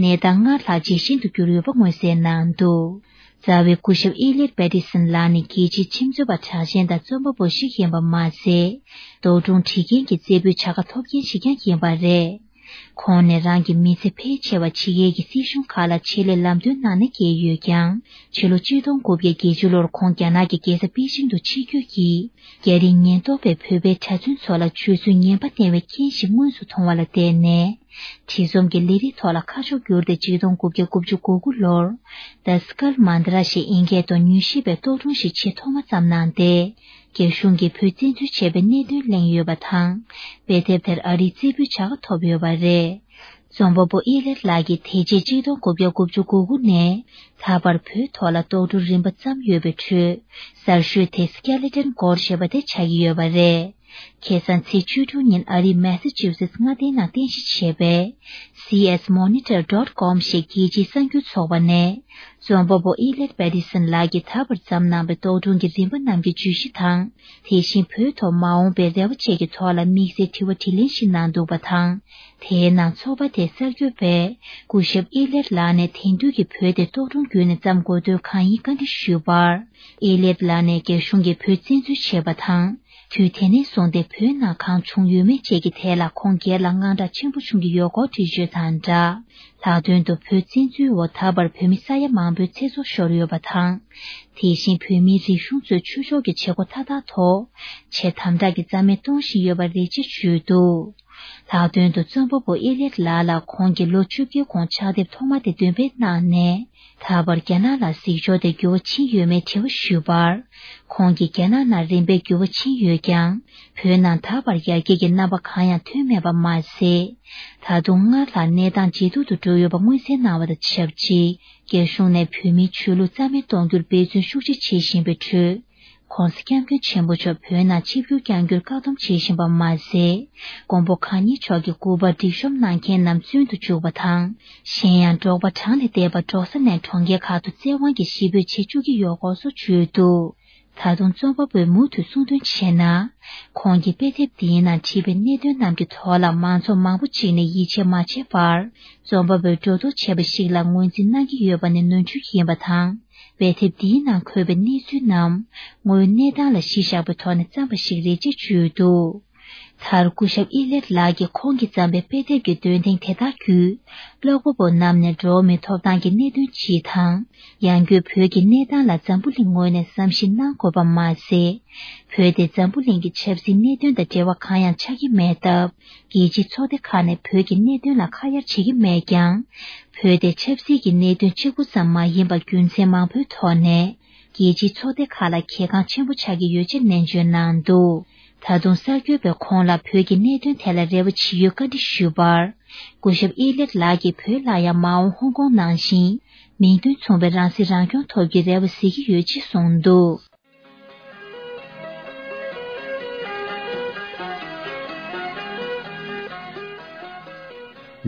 གནས་སྟངས་སྔར་ལྷག་ཇེ་ཞན་དུ་གྱུར་ཡོད་པ་མངོན་གསལ་གནང་འདུག། རྩ་བའི་སྐུ་ཞབས་ཨེ་ལེར་པེ་ཏི་སན་ལགས་ནི་རྒྱལ་སྤྱིའི་ཁྲིམས་རྩོད་པ་གྲགས་ཅན་དང་རྩོམ་པ་པོ་ཞིག་ཡིན་པ་མ་ཟད། རྟོག་སྒྲུང་བྲིས་མཁན་གྱི་རྩེ་ཕུད་བྱ་དགའ་ཐོབ་མཁན་ཞིག་ཀྱང་ཡིན་པ་རེད། ཁོང་ནས་རང་གི་མི་ཚེ་ཕལ་ཆེ་བ་ཕྱི་རྒྱལ་གྱི་སྲིད་གཞུང་ཁག་ལ་ཆེད་ལས་ལམ་སྟོན་གནང་ནས་བསྐྱལ་ཡོད་ཀྱང་། ཕྱི་ལོ་ཆིག་སྟོང་དགུ་བརྒྱ་བརྒྱད་ཅུ་ལོར་ཁོང་རྒྱ་ནག་གི་རྒྱལ་ས་པེ་ཅིང་དུ་ཆིབས་བསྒྱུར་གྱིས། རྒྱ་རིགས་ཉེན་རྟོག་པས་བོད་པའི་གྲྭ་བཙུན་ཚོ་ལ་སྤྱོད་ཚུལ་ངན་པ་བསྟན་པའི་རྐྱེན་ཞིག་མངོན་སུམ་མཐོང་བ་ལ་བརྟེན་ནས། བྲིས་རྩོམ་གྱི་ལས་རིགས་ཐོག་ལ་ཁ་ཕྱོགས་བསྒྱུར་ཏེ་ཆིག་སྟོང་དགུ་བརྒྱ་དགུ་བཅུ་གོ་དགུ་ལོར། The Skull Mantra ཞེས་ཨིན་སྐད་དུ་མྱུལ་ཞིབ་པའི་རྟོག་སྒྲུང་ཞིག་ཆེས་ཐོག་མ་བརྩམས་གནང་སྟེ། རྒྱ་གཞུང་གིས་བོད་བཙན་འཛུལ་བྱས་པའི་གནད་དོན་གླེང་ཡོད་པ་དང་། དཔེ་དེབ་དེར་ཨ་རིའི་རྩེ་ཕུད་བྱ་དགའ་ཐོབ་ཡོད་པ་རེད། རྩོམ་པ་པོ་ཨི་ལེར་ལགས་ཀྱིས་དེ་རྗེས་ཆིག་སྟོང་དགུ་བརྒྱ་དགུ་བཅུ་གོ་དགུ་ནས་ད་བར་བོད་ཐོག་ལ་རྟོག་སྒྲུང་རིམ་པ་བརྩམས་ཡོད་པའི་ཁྲོད། གསར་ཤོས་དེ་Skeleton Court ཞེས་པ་དེ་ཆགས་ཀྱི་ཡོད་པ་རེད། ཁ་སང་ཚེས་བཅུ་དྲུག་ཉིན་ཨ་རིའི་མེ་ས་ཅུ་སེ་ཊི་མངའ་སྡེའི་ནང་རྟེན་གཞི་བྱས་པའི་སི་ཨེས་མོ་ནི་ཊར་ཌོཊ་ཀོམ་ཞེས་རྒྱལ་སྤྱིའི་གསར་འགྱུར་ཚོགས་པ་ནས། རྩོམ་པ་པོ་ཨི་ལེད་པེ་ཏི་སན་ལགས་ཀྱིས་ད་བར་བརྩམས་གནང་བའི་རྟོག་སྒྲུང་གི་རིམ་པ་རྣམས་ཀྱི་བརྗོད་གཞི་དང་། དེ་བཞིན་བོད་ཐོག་མ་འོངས་པའི་རེ་བ་བཅས་ཀྱི་ཐོག་ལ་དམིགས་བསལ་དྲི་བ་དྲིས་ལན་ཞིག་གནང་འདུག་པ་དང་། དེའི་ནང་ཚོགས་པ་དེའི་གསར་འགོད་པས་སྐུ་ཞབས་ཨི་ལེད་ལགས་ནས་དེང་དུས་ཀྱི་བོད་དེ་རྟོག་སྒྲུང་བརྒྱུད་ནས་བརྩམས་དགོས་དོན་གང་ཡིན་བཀའ་འདྲི་ཞུས་པར། ཨི་ལེད་ལགས་ནས་རྒྱ་གཞུང་གིས་བོད་བཙན་འཛུལ་བྱས་པ་དང་། དུས་དེ་ནས་བཟུང་སྟེ་བོད་ནང་གང་བྱུང་ཡོད་མེད་བཅས་ཀྱི་ཐད་ལ་ཁོང་སྒེར་ལ་དངངས་སྐྲག་ཆེན་པོ་བྱུང་གི་ཡོད་སྐོར་འགྲེལ་བརྗོད་དང་སྦྲགས། ལྷག་དོན་དུ་བོད་བཙན་འཛུལ་འོག་ད་བར་བོད་མི་ས་ཡ་མང་པོའི་ཚེ་སྲོག་ཤོར་ཡོད་པ་དང་། དེ་བཞིན་བོད་མིའི་རིག་གཞུང་གཙོས་ཆོས་ཕྱོགས་ཀྱི་བྱེད་སྒོ་མཐའ་དག་ཐོག་ཆེས་དམ་དྲག་གི་རྩ་མེད་གཏོང་བཞིན་ཡོད་པར་རེ་ཆེ་བརྗོད་འདུག་ལྷག་དོན་དུ་རྩོམ་པ་པོ་ཨེ་ལེད་ལགས་ལ་ཁོང་གིས་ལོ་བཅོ་བརྒྱད་གོང་ཕྱག་དེབ་ཐོག་མ་དེ་འདོན་སྤེལ་གནང་ནས། ད་བར་རྒྱ་ནག་ལ་གཟིགས་ཕྱོགས་དེ་འགྱུར་བ་ཕྱིན་ཡོད་མེད་དྲི་བ་ཞུས་པར། ཁོང་གིས་རྒྱ་ནག་ནང་རིམ་པས་འགྱུར་བ་ཕྱིན་ཡོད་ཀྱང་། བོད་ནང་ད་བར་ཡར་རྒྱས་ཀྱི་རྣམ་པ་གང་ཡང་ཐོན་མེད་པ་མ་ཟད། ད་དུང་སྔར་ལྷག་གནས་སྟངས་ཇེ་སྡུག་ཏུ་འགྲོ་ཡོད་པ་མངོན་གསལ་གནང་བ་དང་ཆབས་ཅིག་རྒྱ་གཞུང་ནས་བོད་མིའི་ཆོས་ལུགས་རྩ་མེད་གཏོང་རྒྱུར་འབད་བརྩོན་ཤུགས་ཆེ་བྱེད་བཞིན་པའི་ཁྲོད། ྋགོང་ས་ྋསྐྱབས་མགོན་ཆེན་པོ་མཆོག་བོད་ནང་ཆིབས་བསྒྱུར་བསྐྱང་རྒྱུར་བཀག་སྡོམ་བྱེད་བཞིན་པ་མ་ཟད། མགོན་པོ་གང་ཉིད་མཆོག་གི་སྐུ་པར་སྒྲིག་གཤོམ་གནང་མཁན་རྣམས་བཙོན་དུ་བཅུག་པ་དང་། གཞན་ཡང་འབྲོག་པ་གྲངས་ལས་འདས་པ་འབྲོག་ས་ནས་གྲོང་ཁྱེར་ཁག་ཏུ་བཙན་དབང་གིས་གཞིས་སྤོས་བྱེད་བཅུག་གི་ཡོད་སྐོར་སོགས་བརྗོད་འདུག་ད་དུང་རྩོམ་པ་པོས་མུ་མཐུད་གསུང་དོན་བྱས་ན། ཁོང་གིས་དཔེ་དེབ་འདིའི་ནང་བྲིས་པའི་གནད་དོན་རྣམས་ཀྱི་ཐོག་ལ་མང་ཚོགས་མང་པོ་ཅིག་ནས་ཡིད་ཆེས་མ་བྱས་པར། རྩོམ་པ་པོས་སྒྲོ་འདོགས་བྱས་པ་ཞིག་ལ་ངོས་འཛིན་གནང་གི་ཡོད་པ་ནི་ནོར་འཁྲུལ་ཡིན་པ་དང་། དཔེ་དེབ་འདིའི་ནང་འཁོད་པའི་གནས་ཚུལ་རྣམས་དངོས་ཡོད་གནས་སྟངས་ལ་གཞི་བཞག་པའི་ཐོག་ནས་བརྩམས་པ་ཞིག་རེད་ཅེས་བརྗོད་འདུག་མཐར་སྐུ་ཞབས་ཨི་ལེད་ལགས་ཀྱིས་ཁོང་གིས་བརྩམས་པའི་དཔེ་དེབ་ཀྱི་འདོན་ཐེངས་དེ་དག་བརྒྱུད། ཀློག་པ་པོ་རྣམས་ནས་འགྲོ་བ་མིའི་ཐོབ་ཐང་གི་གནད་དོན་སྤྱི་དང་། ཡང་སྒོས་བོད་ཀྱི་གནས་སྟངས་ལ་འཛམ་བུ་གླིང་ངོས་ནས་བསམ་གཞིག་གནང་དགོས་པ་མ་ཟད། བོད་དེ་འཛམ་བུ་གླིང་གི་ཆབ་སྲིད་གནད་དོན་དང་འབྲེལ་བ་གང་ཡང་ཆགས་ཀྱི་མེད་སྟབས། རྒྱལ་སྤྱིའི་ཚོགས་སྡེ་ཁག་ནས་བོད་ཀྱི་གནད་དོན་ལ་ཁ་གཡར་བྱེད་ཀྱི་མེད་ཀྱང་། བོད་དེ་ཆབ་སྲིད་ཀྱི་གནད་དོན་གཅིག་པུ་ཙམ་མ་ཡིན་པར་རྒྱུ་མཚན་མང་པོའི་ཐོག་ནས། རྒྱལ་སྤྱིའི་ཚོགས་སྡེ་ཁག་ལ་གལ་འགངས་ཆེན་པོ་ཆགས་ཀྱི་ཡོད་ཅེས་ནན་བརྗོད་གནང་འདུག་ད་དུང་གསར་འགོད་པས་ཁོང་ལ་བོད་ཀྱི་གནད་དོན་ཐད་ལ་རེ་བ་ཇི་ཡོད་བཀའ་འདྲི་ཞུས་པར། སྐུ་ཞབས་ཨི་ལེད་ལགས་ཀྱིས་བོད་ལ་ཡང་མ་འོངས་ཧོང་ཀོང་ནང་བཞིན་མིང་དོན་མཚུངས་པའི་རང་སྲིད་རང་སྐྱོང་ཐོབ་རྒྱུའི་རེ་བ་གཟིགས་ཀྱི་ཡོད་ཅེས་གསུངས་འདུག་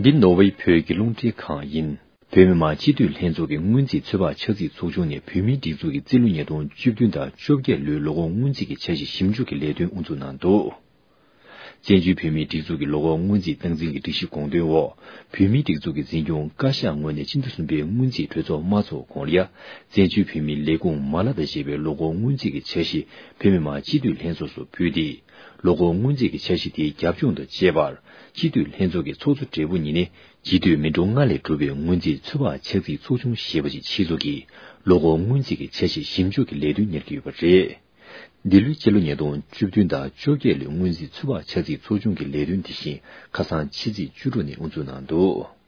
འདི་ནོར་ཝེ་བོད་ཀྱི་རླུང་འཕྲིན་ཁང་ཡིན། བོད་མི་མང་སྤྱི་འཐུས་ལྷན་ཚོགས་ཀྱི་སྔོན་རྩིས་ཚོད་དཔག་ཆ་རྩིས་ཚོགས་ཆུང་ནས་བོད་མིའི་སྒྲིག་འཛུགས་ཀྱི་རྩིས་ལོ་ཉིས་སྟོང་བཅུ་བདུན་དང་བཅོ་བརྒྱད་ལོའི་ལོ་འཁོར་སྔོན་རྩིས་ཀྱི་འཆར་གཞི་ཞིབ་འཇུག་གི་ལས་དོན་དབུ་འཛུགས་གནང་འདུག་བཙན་བྱོལ་བོད་མིའི་སྒྲིག་འཛུགས་ཀྱི་ལོ་འཁོར་སྔོན་རྩིས་སྟངས་འཛིན་གྱི་སྒྲིག་གཞི་དགོངས་དོན་འོག་བོད་མིའི་སྒྲིག་འཛུགས་ཀྱི་འཛིན་སྐྱོང་བཀའ་ཤག་ངོས་ནས་སྤྱི་ཟླ་གསུམ་པའི་སྔོན་རྩིས་གྲོས་ཚོགས་མ་ཚོགས་གོང་ལ་ཡ། བཙན་བྱོལ་བོད་མིའི་ལས་ཁུངས་མ་ལག་དང་ཞེས་པའི་ལོ་འཁོར་སྔོན་རྩིས་ཀྱི་འཆར་གཞི་བོད་མི་མང་སྤྱི་འཐུས་ལྷན་ཚོགས་སུ་ཕུལ་ཏེ། ལོ་འཁོར་སྔོན་རྩིས་ཀྱི་འཆར་གཞི་དེའི་རྒྱབ་ལྗོངས་དང་བཅས་པར། སྤྱི་འཐུས་ལྷན་ཚོགས་ཀྱི་ཚོགས་གཙོ་སྦྲེལ་པོ་ཉིད་ནས་སྤྱི་འཐུས་མི་འགྲོ་ལྔ་ལས་གྲུབ་པའི་སྔོན་རྩིས་ཚོད་དཔག་ཆ་རྩིས་ཚོགས་ཆུང་ཞེས་པ་ཞིག་ཆེད་འཛུགས་ཀྱིས་ལོ་འཁོར་སྔོན་རྩིས་ཀྱི་འཆར་གཞི་ཞིབ་འཇུག་གི་ལས་དོན་གཉེར་གྱི་ཡོད་པ་རེད། འདི་ལོའི་སྤྱི་ལོ་ཉིས་སྟོང་བཅུ་བདུན་དང་བཅོ་བརྒྱད་ལོའི་སྔོན་རྩིས་ཚོད་དཔག་ཆ་རྩིས་ཚོགས་ཆུང་གི་ལས་དོན་དེ་བཞིན་ཁ་སང་ཕྱི་ཚེས་བཅུ་དྲུག་ཉིན་དབུ་འཛུགས་གནང་འདུག་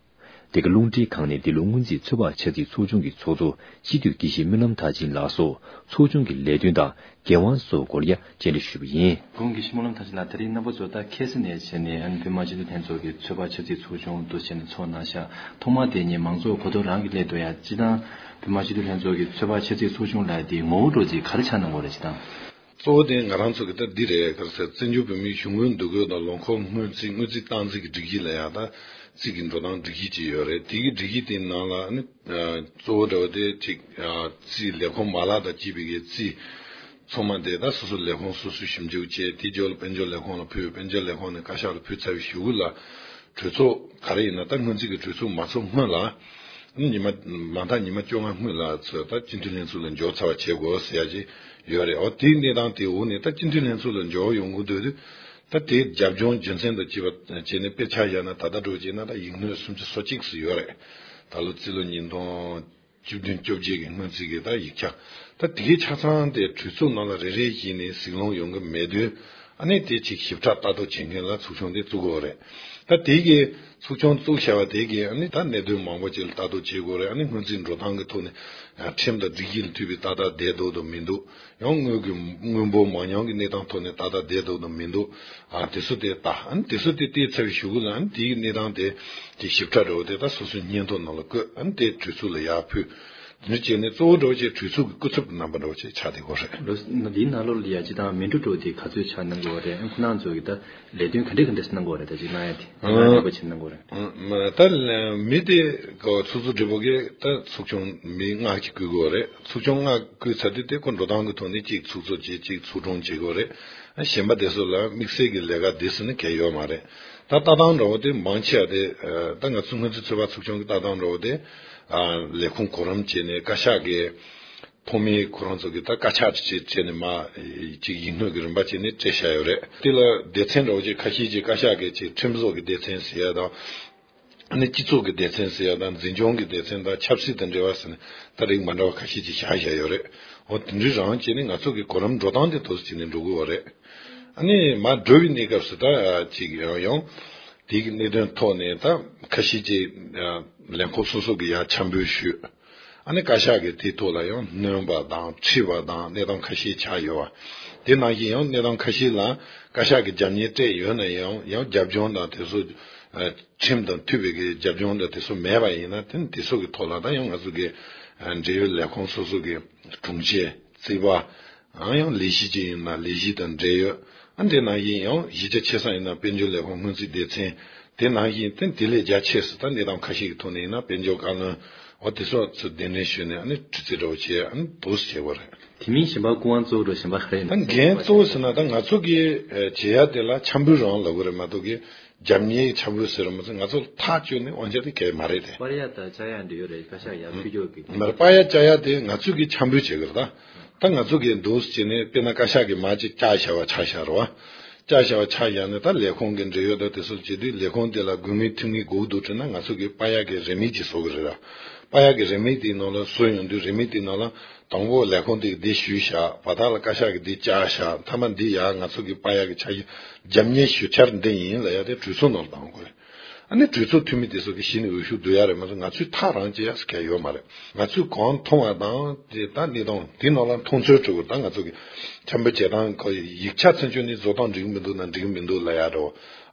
དེ་ག་རླུང་འཕྲིན་ཁང་ནས་འདི་ལོ་སྔོན་རྩིས་ཚོད་དཔག་ཆ་རྩིས་ཚོགས་ཆུང་གི་ཚོགས་གཙོ་སྤྱི་འཐུས་དགེ་བཤེས་སྨོན་ལམ་མཐར་ཕྱིན་ལགས་སོགས་ཚོགས་ཆུང་གི་ལས་དོན་དང་འགན་དབང་སོགས་སྐོར་ཡ་བཅར་འདྲི་ཞུས་པ་ཡིན། དགུང་དགེ་བཤེས་སྨོན་ལམ་མཐར་ཕྱིན་ལགས། དེ་རིང་རྣམ་པ་ཚོ་ད་ཁ་སང་ནས་བྱས་ནས་ཨ་ནི་བོད་མི་མང་སྤྱི་འཐུས་ལྷན་ཚོགས་ཀྱི་ཚོད་དཔག་ཆ་རྩིས་ཚོགས་ཆུང་དུ་བྱས་ནས་ཚོགས་གནང་ཤག་ཐོག་མ་དེ་ཉིད་མང་ཚོགས་གོ་རྟོགས་རང་གི་སླད་དུ་ཡང་སྤྱི་བཏང་བོད་མི་མང་སྤྱི་འཐུས་ལྷན་ཚོགས་ཀྱི་ཚོད་དཔག་ཆ་རྩིས་ཚོགས་ཆུང་ལབ་དེ་ངོ་བོ་འདྲ་ཅིག་ག་རེ་ཆགས་གནང་གི་ཡོད་རེད། སྤྱི་བཏང་གཙོ་བོ་དེ་ང་རང་ཚོ་གི་ད་འདི་རེད། ག་རེ་ཟེར། བཙན་བྱོལ་བོད་མིའི་གཞུང་གི་འདུ་འགོད་དང་ལོ་འཁོར་སྔོན་རྩིས། སྔོན་རྩིས་སྟངས་འཛིན་གྱི་སྒྲིག་གཞི་ལ་ཡང་ད་རྩིས་ཀྱི་འགྲོ་སྟངས་སྒྲིག་གཞི་ཅིག་ཡོད་རེད། དེ་གི་སྒྲིག་གཞི་དེའི་ནང་ལ་ནི་གཙོ་བོ་འདྲ་བོ་དེ་གཅིག་རྩིས་ལས་ཁུངས་མ་ལག་དང་བཅས་པའི་གི་རྩིས་ཚང་མ་དེ་ད་སོ་སོ་ལས་ཁུངས་སོ་སོས་ཞིབ་འཇུག་བྱས། དེ་རྗེས་ལ་དཔལ་འབྱོར་ལས་ཁུངས་ལ་ཕུལ། དཔལ་འབྱོར་ལས་ཁུངས་ནས་བཀའ་ཤག་ལ་ཕུལ་ཚར་བའི་གཞུག་གུ་ལ། གྲོས་ཚོགས་ག་རེ་ཡིན་ན་ད་སྔོན་རྩིས་ཀྱི་གྲོས་ཚོགས་མ་ཚོགས་སྔོན་ལ། ཉི་མ་མ་མཐའ་ཉི་མ་བཅོ་ལྔ་སྔོན་ལ་ཚོས་ད་སྤྱི་འཐུས་ལྷན་ཚོགས་ལ་འབྱོར་ཚར་བ་བྱེད་དགོས་ཟེར་ཡ་ཅིག་ཡོད་རེད། འོ་དེའི་གནས་སྟངས་དེའི་འོག་ནས་ད་སྤྱི་འཐུས་ལྷན་ཚོགས་ལ་འབྱོར་ཡོང་གི་འདུག་དུས། ད་དེའི་རྒྱབ་ལྗོངས་རྒྱུ་མཚན་དང་བཅས་པ་བྱས་ནས་དཔེ་ཆ་བཞག་ན་ད་ལྟ་འགྲོ་བྱས་ན་ད་ཡིག་སྣོད་སུམ་ཅུ་སོ་གཅིག་ཙམ་ཡོད་རེད། ད་ལོ་རྩིས་ལོ་ཉིས་སྟོང་བཅུ་བདུན་བཅོ་བརྒྱད་ཀྱི་སྔོན་རྩིས་ཀྱི་ད་ཡིག་ཆ། ད་དེ་གའི་ཆ་ཚང་དེ་གྲོས་ཚོགས་ནང་ལ་རེ་རེ་བཞིན་ནས་གཟིགས་སློང་ཡོང་གི་མེད་དུས། ཨ་ནི་དེ་ཅིག་ཞིབ་ཕྲ་ལྟ་རྟོག་བྱེད་མཁན་ལ་ཚོགས་ཆུང་དེ་བཙུགས་དགོས་རེད། ད་དེ་གའི་ཚོགས་ཆུང་བཙུགས་བྱ་བ་དེ་གའི་ཨ་ནི་ད་གནད་དོན་མང་པོ་ཅིག་ལ་ལྟ་རྟོག་བྱེད་དགོས་རེད། ཨ་ནི་སྔོན་རྩིས་འགྲོ་སྟངས་ཀྱི་ཐོག་ནས་ཁྲིམས་དང་སྒྲིག་གཞི་ལ་མཐུད་པའི་ཏག་ཏག་བསྡད་འདུག་དང་མི་འདུག་ཡང་དངུལ་གྱི་དངུལ་འབོར་མ་ཉམས་ཀྱི་གནས་སྟངས་ཐོག་ནས་ཏག་ཏག་བསྡད་འདུག་དང་མི་འདུག་ཨ་དེ་ཚོ་དེ་ལྟ། ཨ་ནི་དེ་ཚོ་དེ་བལྟས་ཚར་བའི་གཞུག་གུ་ལ་ཨ་ནི་དེའི་གནས་སྟངས་དེ་དེ་ཞིབ་ཕྲ་འདྲ་བོ་དེ་ད་སོ་སོའི་སྙན་ཐོ་ནང་ལ་བཀོད། ཨ་ནི་དེ་གྲོས་ཚོགས་ལ་ཡར་ཕུལ། འདི་བྱས་ནས་གཙོ་བོ་འདྲ་བོ་ཅིག་གྲོས་ཚོགས་ཀྱི་སྐུ་ཚབ་ཀྱི་རྣམ་པ་འདྲ་བོ་ཅིག་ཆགས་བསྡད་ཡོད་རེད། ལོ་འདིའི་ནང་ལོགས་ལ་ཡ་ཅིག་དང་མི་འགྲོ་འགྲོ་དེ་ག་ཚོད་ཆགས་གནང་དགོས་རེད། ཁོ་རང་ཚོ་གི་ད་ལས་དོན་ག་འདྲས་ག་འདྲས་གནང་དགོས་རེད། ད་ཅིག་གནང་ཡ་དེ་གནང་ཡ་འདྲ་བོ་ཅིག་གནང་དགོས་རེད། ད་མི་དེ་ག་ཚོགས་གཙོ་སྦྲེལ་པོ་གི་ད་ཚོགས་ཆུང་མི་ལྔ་ཅིག་བསྐོ་དགོས་རེད། ཚོགས་ཆུང་ལྔ་བསྐོས་ཚར་དུས་དེ་ཁོ་འགྲོ་སྟངས་ཀྱི་ཐོག་ནས་གཅིག་ཚོགས་གཙོ་བྱས། གཅིག་ཚོགས་དྲུང་བྱེད་དགོས་རེད། གཞན་པ་དེ་ཚོ་ལ་དམིགས་བསལ་གྱི་ལས་ཀ་དེ་ཚོ་ནི་གལ་ཡོད་མ་རེད། ད་ལྟ་སྟངས་འདྲ་བོ་དེ་མང་ཆེ་བ་དེ་ད་ང་ཚོ་སྔོན་རྩིས་ཚོད་དཔག་ཚོགས་ཆུང་གི་ལྟ་སྟངས་འདྲ་བོ་དེ་ལས་ཁུངས་གོ་རིམ་བྱས་ནས་བཀའ་ཤག་གི་ཐོག་མའི་ཁོ་རང་ཚོ་གི་ད་བཀའ་ཕྱག་བྱས་བྱས་ནས་མ་ཅིག་ཡིག་སྣོད་ཀྱི་རིམ་པ་བྱས་ནས་སྤྲད་བཞག་ཡོད་རེད། དེ་ལ་སྡེ་ཚན་འདྲ་བོ་ཅིག་ཁ་ཤས་ཅིག་བཀའ་ཤག་གི་ཅིག་ཁྲིམས་བཟོ་གི་སྡེ་ཚན་ཟེར་ཡ་དང་། ཨ་ནི་སྤྱི་ཚོགས་ཀྱི་སྡེ་ཚན་ཟེར་ཡ་དང་། འཛིན་སྐྱོང་གི་སྡེ་ཚན་དང་། ཆབ་སྲིད་དང་འབྲེལ་བ་ཟེར་ནས་ད་རིགས་མ་འདྲ་བ་ཁ་ཤས་ཅིག་བཞག་བཞག་ཡོད་རེད། འོ་དེ་འདྲའི་རང་བྱས་ནས་ང་ཚོ་གི་གོ་རིམ་འགྲོ་སྟངས་དེ་ཐོག་ཅིག་ནས་འགྲོ་གི་ཡོད་རེད། ཨ་ནི་མར་འགྲོ་བའི་གནས་སྐབས་སུ་ད་ཅིག་ཡང་ཡང་དེའི་གནད་དོན་ཐོག་ནས་ད་ཁ་ཤས་ཅིག་ལས་ཁུངས་སོ་སོ་གི་ཡར་འཆར་འབུལ་ཞུས། ཨ་ནི་བཀའ་ཤག་གིས་དེའི་ཐོག་ལ་ཡང་སྣོན་པ་དང་ཁྲིད་པ་དང་གནས་སྟངས་ཁ་ཤས་ཆགས་ཡོད་པ། དེ་ནང་བཞིན་ཡང་གནས་སྟངས་ཁ་ཤས་ལ་བཀའ་ཤག་གིས་རྒྱབ་གཉེར་སྤྲད་ཡོད་ན་ཡང་། ཡང་རྒྱབ་ལྗོངས་དང་དེ་ཚོ་ཁྲིམས་དང་མཐུན་པའི་གི་རྒྱབ་ལྗོངས་དང་དེ་ཚོ་མེད་པ་ཡིན་ན། དེ་དེ་ཚོ་གི་ཐོག་ལ་ད་ཡང་ང་ཚོ་གི་འབྲེལ་ཡོད་ལས་ཁུངས་སོ་སོ་གི་དྲུང་ཆེ། རྩིས་པ། ཨང་ཡང་ལས་གཞི་ཅིག་ཡིན་ན་ལས་གཞི་དང་འབྲེལ་ཡོད། ཨ་འདི་ནང་བཞིན་ཡང་གཞི་རྒྱ་ཆེ་ས་ཡིན་ན་དཔལ་འབྱོར་ལས་ཁུངས་སྔོན་རྩིས་སྡེ་ཚན། དེ་ནང་བཞིན་དེ་དེ་ལས་རྒྱ་ཆེ་སུ་ད་གནས་སྟངས་ཁ་ཤས་ཀྱི་ཐོག་ནས་ཡིན་ན་དཔལ་འབྱོར་བཀའ་བློན། འོ་དེ་སོགས་ཚུར་གདན་འདྲེན་ཞུས་ནས་ཨ་ནི་དྲི་རྩད་འདྲ་བོ་བྱས། ཨ་ནི་འདུག་སེ་བྱེད་དགོས་རེད། དེ་མིན་གཞན་པ་སྐུ་དབང་གཙོ་བོ་འདྲ་བོ་གཞན་པ་ག་རེ་ཡིན་ད་འགན་གཙོ་བོ་ཟེར་ན་ད་ང་ཚོ་གི་བྱེད་ཡ་དེ་ལ་འཆར་འབུལ་རང་ལབ་དགོས་རེད་མ་གཏོགས་གི་རྒྱབ་གཉེར་འཆར་འབུལ་ཟེར་ར་མ་ཟེར། ང་ཚོ་ཐག་གཅོད་ནས་དབང་ཆ་དེ་གས་མ་རེད་དེ། པར་ཡ་དང་བཅར་ཡ་འདྲ་ཡོད་རེད། བཀའ་ཤག་ཡར་ཕུལ་རྒྱུ་གི། མར་པར་ཡ་བཅར་ཡ་དེ་ང་ཚོས་གི་འཆར་འབུལ་བྱེད་དགོས་རེད། ད་ད་ང་ཚོ་གི་འདུག་སེ་བྱས་ནས་དཔེར་ན་བཀའ་ཤག་གི་མར་ཅིག་བཅར་བཞག་པ་ཆ་བཞག་རེད་བ། བཅར་བཞག་པ་ཆ་བཞག་ནས་ད་ལས་ཁུངས་ཀྱི་འབྲེལ་ཡོད་དང་དེ་ཚོ་བྱེད་དུས་ལས་ཁུངས་དེ་ལ་དགོས་ངེས་ཐུབ་ངེས་དགོས་འདུག་དྲན་ན་ང་ཚོ་གི་པར་ཡ་གི་རིན་མེད་ཅིག་བཟོ་གི་རེད་ལ། པར་ཡ་གི་རིན་མེད་དེའི་ནང་ལ་བཟོ་ཡོང་དུས་རིན་མེད་དེའི་ནང་ལ། དང་པོ་ལས་ཁུངས་དེ་གི་འདི་ཞུས་བཞག་བར་ཐག་ལ་བཀའ་ཤག་གི་འདི་བཅར་བཞག་མཐའ་མ་འདི་ཡ་ང་ཚོ་གི་པར་ཡ་གི་ཆ་རྒྱབ་གཉེར་ཞུ་འཆར་འདི་ཡིན་ལབ་ཡ་དེ་གྲོས་ཚོགས་ནང་ལ་བཏང་དགོས་རེད། ཨ་ནི་གྲོས་ཚོགས་འཐུས་མི་དེ་ཚོ་གི་གཞི་ནས་འོས་ཤོག་བསྡུ་ཡ་རེད་མ་གཏོགས་ང་ཚོས་ཐག་རང་བཅད་ཡ་ཟེར་མཁན་ཡོད་མ་རེད། ང་ཚོས་གང་མཐོང་བ་དང་དེ་ད་གནས་སྟངས་དེ་ནང་ལ་མཐོང་ཚུལ་འགྲོ་དགོས། ད་ང་ཚོ་གི་འཆར་འབུལ་བྱེད་སྟངས་ཁོ་ཡིག་ཆ་ཚུན་ཆོད་ནས་བཟོ་སྟངས་འགྲིག་གི་མི་འདུག་ན་འགྲིག་གི་མི་འདུག་ལབ་ཡ་འགྲོ།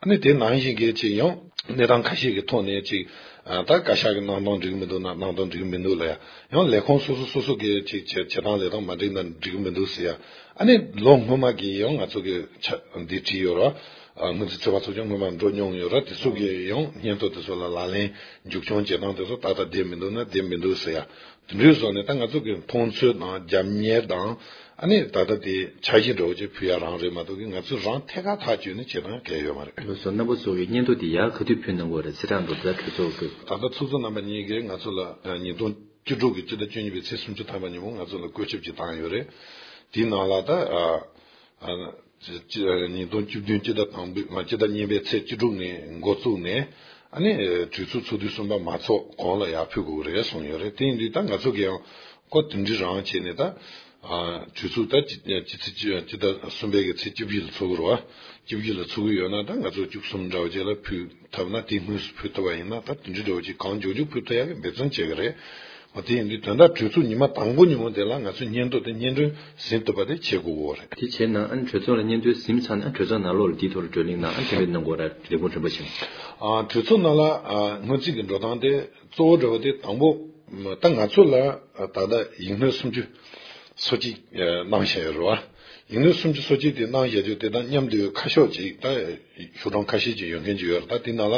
ཨ་ནི་དེ་ནང་བཞིན་གི་ཅིག་ཡང་གནས་སྟངས་ཁ་ཤས་ཀྱི་ཐོག་ནས་ཅིག་ཨ་ད་བཀའ་ཤག་གི་གནང་སྟངས་འགྲིག་གི་མི་འདུག་ན་གནང་སྟངས་འགྲིག་གི་མི་འདུག་ལབ་ཡ། ཡང་ལས་ཁུངས་སོ་སོ་སོ་སོ་གི་ཅིག་བྱེད་བྱེད་སྟངས་ལས་སྟངས་མ་འགྲིག་ན་འགྲིག་གི་མི་འདུག་ཟེར་ཡ། ཨ་ནི་ལོ་སྔོན་མ་གི་ཡང་ང་ཚོ་གི་ཆ་འདི་བྲིས་ཡོད་ར། ཨ་སྔོན་རྩིས་ཚོད་དཔག་ཚོགས་ཆུང་སྔོན་མ་འགྲོ་མྱོང་ཡོད་ར། དེ་ཚོ་གི་ཡང་སྙན་ཐོ་དེ་ཚོ་ལ་ལག་ལེན་མཇུག་སྐྱོང་བྱེད་སྟངས་དེ་ཚོ་ཏག་ཏག་བསྡད་མི་འདུག་ན་བསྡད་མི་འདུག་ཟེར་ཡ། དེ་འདྲའི་བཟོ་ནས་ད་ང་ཚོ་གི་མཐོང་ཚུལ་དང་རྒྱབ་གཉེར་དང་། ཨ་ནི་ད་ལྟ་དེ་འཆར་གཞི་འདྲ་བོ་ཅིག་ཕུལ་ཡ་རང་རེད་མ་གཏོགས་གི་ང་ཚོས་རང་ཐད་ཀར་ཐག་གཅོད་ནས་བྱེད་སྟངས་གལ་ཡོད་མ་རེད། ལགས་སོ། རྣམ་པ་ཚོ་གི་སྙན་ཐོ་དེ་ཡར་ག་དུས་ཕུལ་གནང་དགོས་རེད། ཚེས་གྲངས་འདྲ་བོ་ད་གྲོས་ཚོགས་ཀྱི། ད་ལྟ་ཚོགས་གཙོ་རྣམ་པ་གཉིས་ཀྱིས་ང་ཚོ་ལ་ཉིས་སྟོང་བཅུ་དྲུག་གི་སྤྱི་ཟླ་བཅུ་གཉིས་པའི་ཚེས་སུམ་ཅུ་ཐམ་པ་ཉིན་མོ་ང་ཚོ་ལ་བཀོད་ཁྱབ་ཅིག་བཏང་ཡོད་རེད། དེའི་ནང་ལ་ད་ཨ་ཨ་ཉིས་སྟོང་བཅུ་བདུན་སྤྱི་ཟླ་དང་པོའི་ང་སྤྱི་ཟླ་གཉིས་པའི་ཚེས་བཅུ་དྲུག་ནས་འགོ་བཙུགས་ནས། ཨ་ནི་གྲོས་ཚོགས་ཚོགས་དུས་གསུམ་པ་མ་ཚོགས་གོང་ལ་ཡར་ཕུལ་དགོས་ཀྱི་རེད་གསུངས་ཡོད་རེད། དེ་ཡིན་དུས་ད་ང་ཚོ་གི་ཡང་ཁོ་དེ་འདྲའི་རང་བྱས་ནས་ད་ཨ་གྲོས་ཚོགས་ད་སྤྱི་སྤྱི་ཚེས་སྤྱི་ཟླ་གསུམ་པའི་གི་ཚེས་བཅུ་བཞི་ལ་ཚོགས་ཀྱི་རེད་བ། བཅུ་བཞི་ལ་ཚོགས་ཀྱི་ཡོད་ན་ད་ང་ཚོ་བཅུ་གསུམ་འདྲ་བོ་ཅིག་ལ་ཕུལ་ཐུབ་ན། དེ་སྔོན་སུ་ཕུལ་ཐུབ་པ་ཡིན་ན་ད་དེ་འདྲའི་འདྲ་བོ་ཅིག་གང་མགྱོགས་མགྱོགས་ཕུལ་ཐུབ་ཡག་གི་འབད་བརྩོན་བྱེད་ཀྱི་རེད། འོ་དེ་ཡིན་དུས་དོན་དག་གྲོས་ཚོགས་ཉི་མ་དང་པོ་ཉིན་མོ་དེ་ལ་ང་ཚོས་སྙན་ཐོ་དེ་སྙན་སྒྲོན་ཟིན་ཐུབ་པ་དེ་བྱེད་དགོས་ཀྱི་རེད། དེ་བྱས་ན་ཨ་ནི་གྲོས་ཚོགས་ལ་སྙན་ཐོ་ཟིན་ཚར་ན་ཨ་གྲོས་ཚོགས་ནང་ལོགས་ལ་དེའི་ཐོག་ལ་བགྲོ་གླེང་གནང་ཨ་འགྲེམས་སྤེལ་གནང་དགོས་ར། ལས་ཁུངས་རིམ་པ་བྱས་ནས། ཨ་གྲོས་ཚོགས་ནང་ལ་ཨ་སྔོན་རྩིས་ཀྱི་འགྲོ་སྟངས་དེ་གཙོ་བོ་འདྲ་བོ་དེ་དང་པོ་ད་ང་ཚོ་ལ་ད་ལྟ་ཡིག་སྣོད་སུམ་ཅུ་སོ་གཅིག་གནང་བཞག་ཡོད་རེད་བ། ཡིག་སྣོད་སུམ་ཅུ་སོ་གཅིག་དེ་གནང་བཞག་དུས་དེ་དང་མཉམ་དུ་ཁ་ཤོག་ཅིག་ད་ཤོག་གྲངས་ཁ་ཤས་ཅིག་ཡོད་མཁན་ཅིག་ཡོད་རེད། ད་དེ་ནང་ལ་